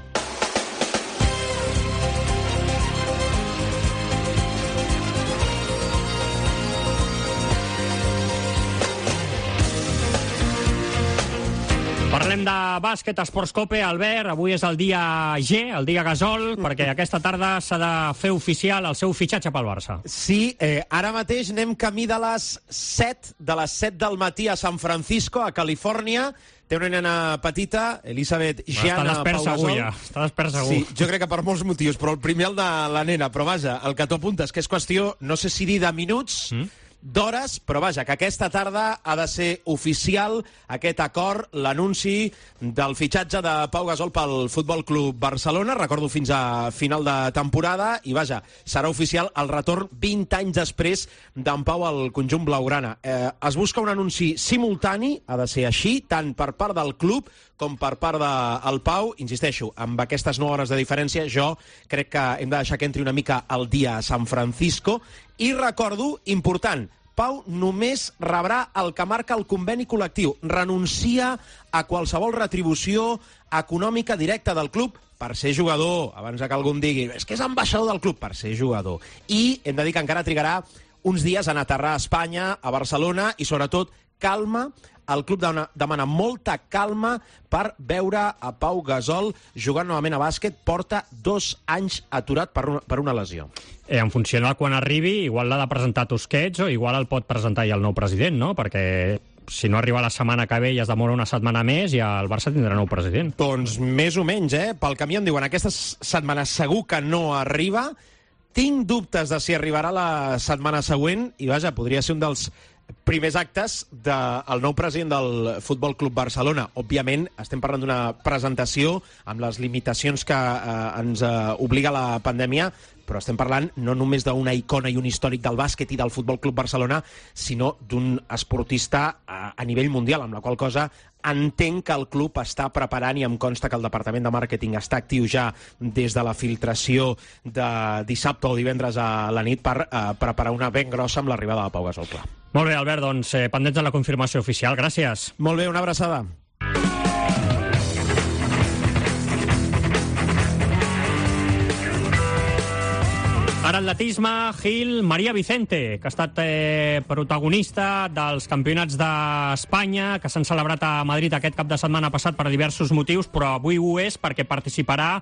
Parlem de bàsquet, Esports Cope. Albert, avui és el dia G, el dia Gasol, perquè aquesta tarda s'ha de fer oficial el seu fitxatge pel Barça. Sí, eh, ara mateix anem camí de les set, de les set del matí a San Francisco, a Califòrnia. Té una nena petita, Elisabeth Gianna Pau Gasol. Ja. Està despert segur. Sí, jo crec que per molts motius, però el primer el de la nena. Però vaja, el que tu apuntes, que és qüestió, no sé si dir de minuts, mm? d'hores, però vaja, que aquesta tarda ha de ser oficial aquest acord, l'anunci del fitxatge de Pau Gasol pel Futbol Club Barcelona, recordo fins a final de temporada, i vaja, serà oficial el retorn vint anys després d'en Pau al conjunt blaugrana. Eh, es busca un anunci simultani, ha de ser així, tant per part del club com per part del Pau. Insisteixo, amb aquestes nou hores de diferència, jo crec que hem de deixar que entri una mica el dia a San Francisco. I recordo, important, Pau només rebrà el que marca el conveni col·lectiu. Renuncia a qualsevol retribució econòmica directa del club per ser jugador. Abans que algú em digui, és que és ambaixador del club, per ser jugador. I hem de dir que encara trigarà uns dies en aterrar a Espanya, a Barcelona, i sobretot calma. El club demana molta calma per veure a Pau Gasol jugant novament a bàsquet. Porta dos anys aturat per una, per una lesió. Eh, en funció de quan arribi, igual l'ha de presentar Tusquets o igual el pot presentar ja el nou president, no? Perquè si no arriba la setmana que ve i es demora una setmana més, ja el Barça tindrà nou president. Doncs més o menys, eh? Pel camí em diuen, aquesta setmana segur que no arriba. Tinc dubtes de si arribarà la setmana següent i, vaja, podria ser un dels primers actes del nou president del Futbol Club Barcelona. Òbviament, estem parlant d'una presentació amb les limitacions que eh, ens eh, obliga la pandèmia, però estem parlant no només d'una icona i un històric del bàsquet i del Futbol Club Barcelona, sinó d'un esportista a, a nivell mundial, amb la qual cosa entenc que el club està preparant, i em consta que el departament de màrqueting està actiu ja des de la filtració de dissabte o divendres a la nit per eh, preparar una ben grossa amb l'arribada de Pau Gasol, clar. Molt bé, Albert, doncs eh, pendents de la confirmació oficial. Gràcies. Molt bé, una abraçada. Ara atletisme, Gil, Maria Vicente, que ha estat eh, protagonista dels campionats d'Espanya, que s'han celebrat a Madrid aquest cap de setmana passat per diversos motius, però avui ho és perquè participarà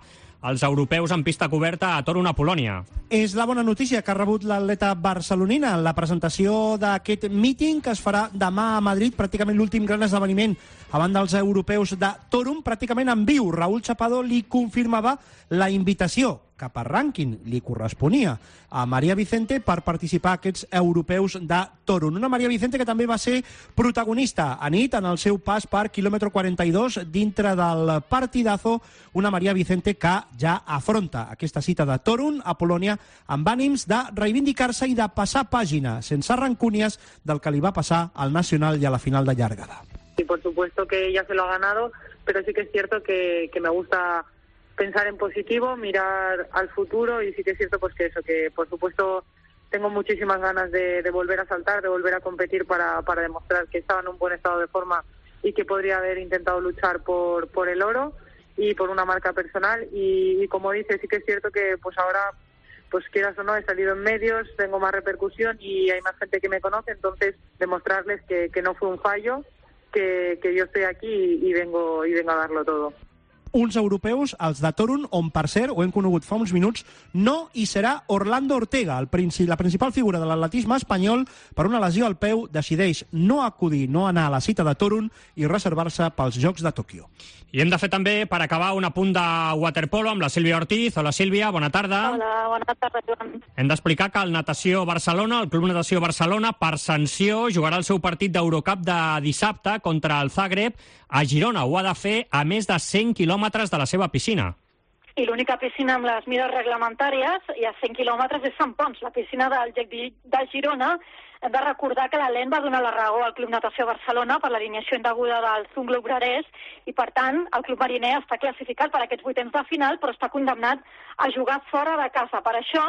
als europeus en pista coberta a Torun, a Polònia. És la bona notícia que ha rebut l'atleta barcelonina en la presentació d'aquest míting que es farà demà a Madrid, pràcticament l'últim gran esdeveniment abans dels europeus de Torun, pràcticament en viu. Raúl Chapado li confirmava la invitació que per rànquing li corresponia a Maria Vicente per participar a aquests europeus de Torun. Una Maria Vicente que també va ser protagonista anit en el seu pas per quilòmetre quaranta i dos dintre del partidazo, una Maria Vicente que ja afronta aquesta cita de Torun a Polònia amb ànims de reivindicar-se i de passar pàgina, sense rancúnies, del que li va passar al Nacional i a la final de llargada. Y por supuesto que ella se lo ha ganado, pero sí que es cierto que, que me gusta pensar en positivo, mirar al futuro, y sí que es cierto pues que eso, que por supuesto tengo muchísimas ganas de, de volver a saltar, de volver a competir para, para demostrar que estaba en un buen estado de forma y que podría haber intentado luchar por, por el oro y por una marca personal. Y, y como dice, sí que es cierto que pues ahora, pues quieras o no, he salido en medios, tengo más repercusión y hay más gente que me conoce, entonces demostrarles que, que no fue un fallo, que, que yo estoy aquí y, y vengo y vengo a darlo todo. Uns europeus, els de Torun, on, per cert, ho hem conegut fa uns minuts, no hi serà Orlando Ortega, el princi- la principal figura de l'atletisme espanyol, per una lesió al peu, decideix no acudir, no anar a la cita de Torun i reservar-se pels Jocs de Tòquio. I hem de fer també, per acabar, un apunt de waterpolo amb la Sílvia Ortiz. Hola, Sílvia, bona tarda. Hola, bona tarda, Joan. Hem d'explicar que el Natació Barcelona, el Club Natació Barcelona, per sanció, jugarà el seu partit d'Eurocup de dissabte contra el Zagreb a Girona. Ho ha de fer a més de cent quilòmetres de la seva piscina. I l'única piscina amb les mides reglamentàries i a cent quilòmetres és Sant Pons, la piscina del Gec de Girona. Hem de recordar que l'Alent va donar la raó al Club Natació Barcelona per l'alineació indeguda del Zunglo Obrerès i, per tant, el club mariner està classificat per aquests vuitens de final, però està condemnat a jugar fora de casa. Per això,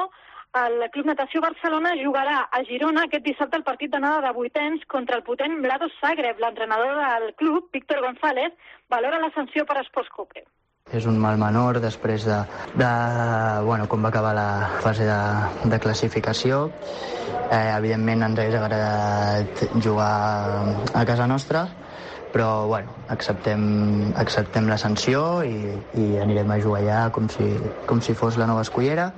el Club Natació Barcelona jugarà a Girona aquest dissabte el partit d'anada de vuitens contra el potent Mladost Zagreb. L'entrenador del club, Víctor González, valora la sanció per Esports Cope. És un mal menor després de, de bueno, com va acabar la fase de, de classificació. Eh, evidentment ens hauria agradat jugar a casa nostra, però bueno, acceptem, acceptem la sanció i, i anirem a jugar allà com si, com si fos la nova escullera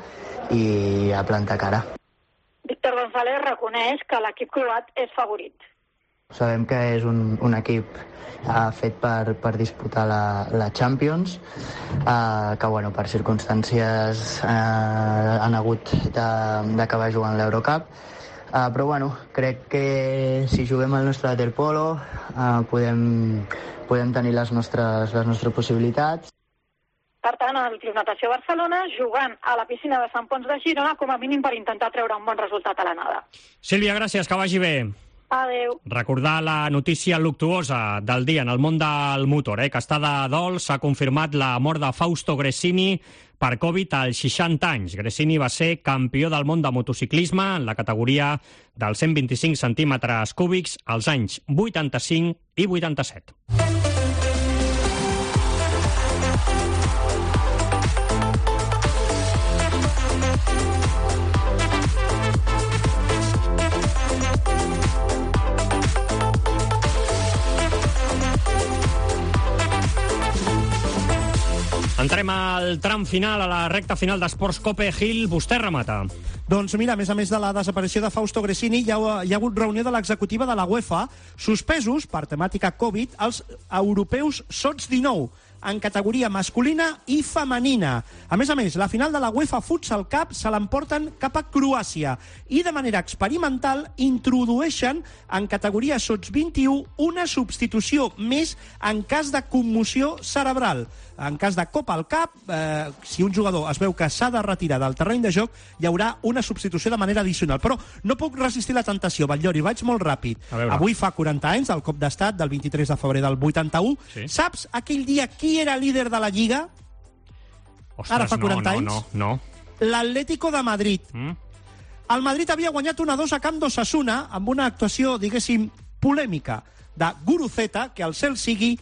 i a plantar cara. Víctor González reconeix que l'equip croat és favorit. Sabem que és un, un equip uh, fet per, per disputar la, la Champions, uh, que bueno, per circumstàncies uh, han hagut d'acabar jugant l'Eurocup, uh, però bueno, crec que si juguem al nostre waterpolo uh, podem, podem tenir les nostres, les nostres possibilitats. Per tant, el Club Natació Barcelona jugant a la piscina de Sant Pons de Girona com a mínim per intentar treure un bon resultat a l'anada. Sílvia, gràcies, que vagi bé. Adéu. Recordar la notícia luctuosa del dia en el món del motor, eh, que està de dol. S'ha confirmat la mort de Fausto Gresini per Covid als seixanta anys. Gresini va ser campió del món de motociclisme en la categoria dels cent vint-i-cinc centímetres cúbics als anys vuitanta-cinc i vuitanta-set. Entrem al tram final, a la recta final d'Esports Cope. Gil, vostè remata. Doncs mira, a més a més de la desaparició de Fausto Gresini, hi ha, hi ha hagut reunió de l'executiva de la UEFA, suspesos per temàtica Covid els europeus sots dinou, en categoria masculina i femenina. A més a més, la final de la UEFA Futsal Cup se l'emporten cap a Croàcia i de manera experimental introdueixen en categoria sots vint-i-u una substitució més en cas de commoció cerebral. En cas de cop al cap, eh, si un jugador es veu que s'ha de retirar del terreny de joc, hi haurà una substitució de manera addicional. Però no puc resistir la tentació, Batllori, vaig molt ràpid. Avui fa quaranta anys, el cop d'estat del vint-i-tres de febrer del vuitanta-u. Sí. Saps aquell dia qui era líder de la Lliga? Ostres, ara fa quaranta no, anys? No, no, no. L'Atlético de Madrid. Mm. El Madrid havia guanyat un a dos a camp d'Osasuna amb una actuació, diguéssim, polèmica de Guruceta, que el cel sigui,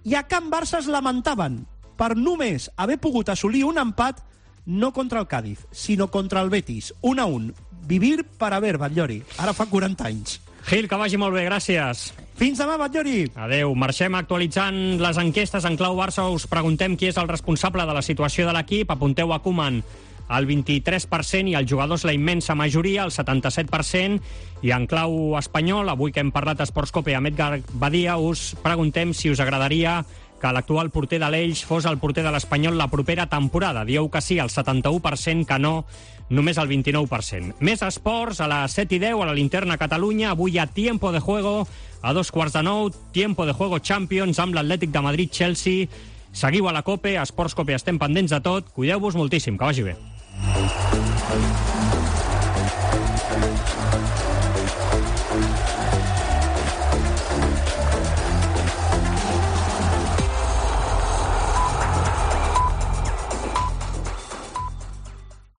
i a Can Barça es lamentaven per només haver pogut assolir un empat no contra el Cádiz, sinó contra el Betis. Un a un. Vivir per haver, Batllori. Ara fa quaranta anys. Gil, que vagi molt bé, gràcies. Fins demà, Batllori. Adéu. Marxem actualitzant les enquestes en clau Barça. Us preguntem qui és el responsable de la situació de l'equip. Apunteu a Koeman el vint-i-tres per cent i els jugadors la immensa majoria, el setanta-set per cent. I en clau espanyol, avui que hem parlat d'Esports Cope amb Edgar Badia, us preguntem si us agradaria que l'actual porter de l'Elx fos el porter de l'Espanyol la propera temporada. Dieu que sí, el setanta-u per cent, que no, només el vint-i-nou per cent. Més esports, a les set i deu, a la Linterna Catalunya. Avui hi ha Tiempo de Juego, a dos quarts de nou, Tiempo de Juego Champions amb l'Atlètic de Madrid-Chelsea. Seguiu a la COPE, a Esports COPE, estem pendents de tot. Cuideu-vos moltíssim, que vagi bé.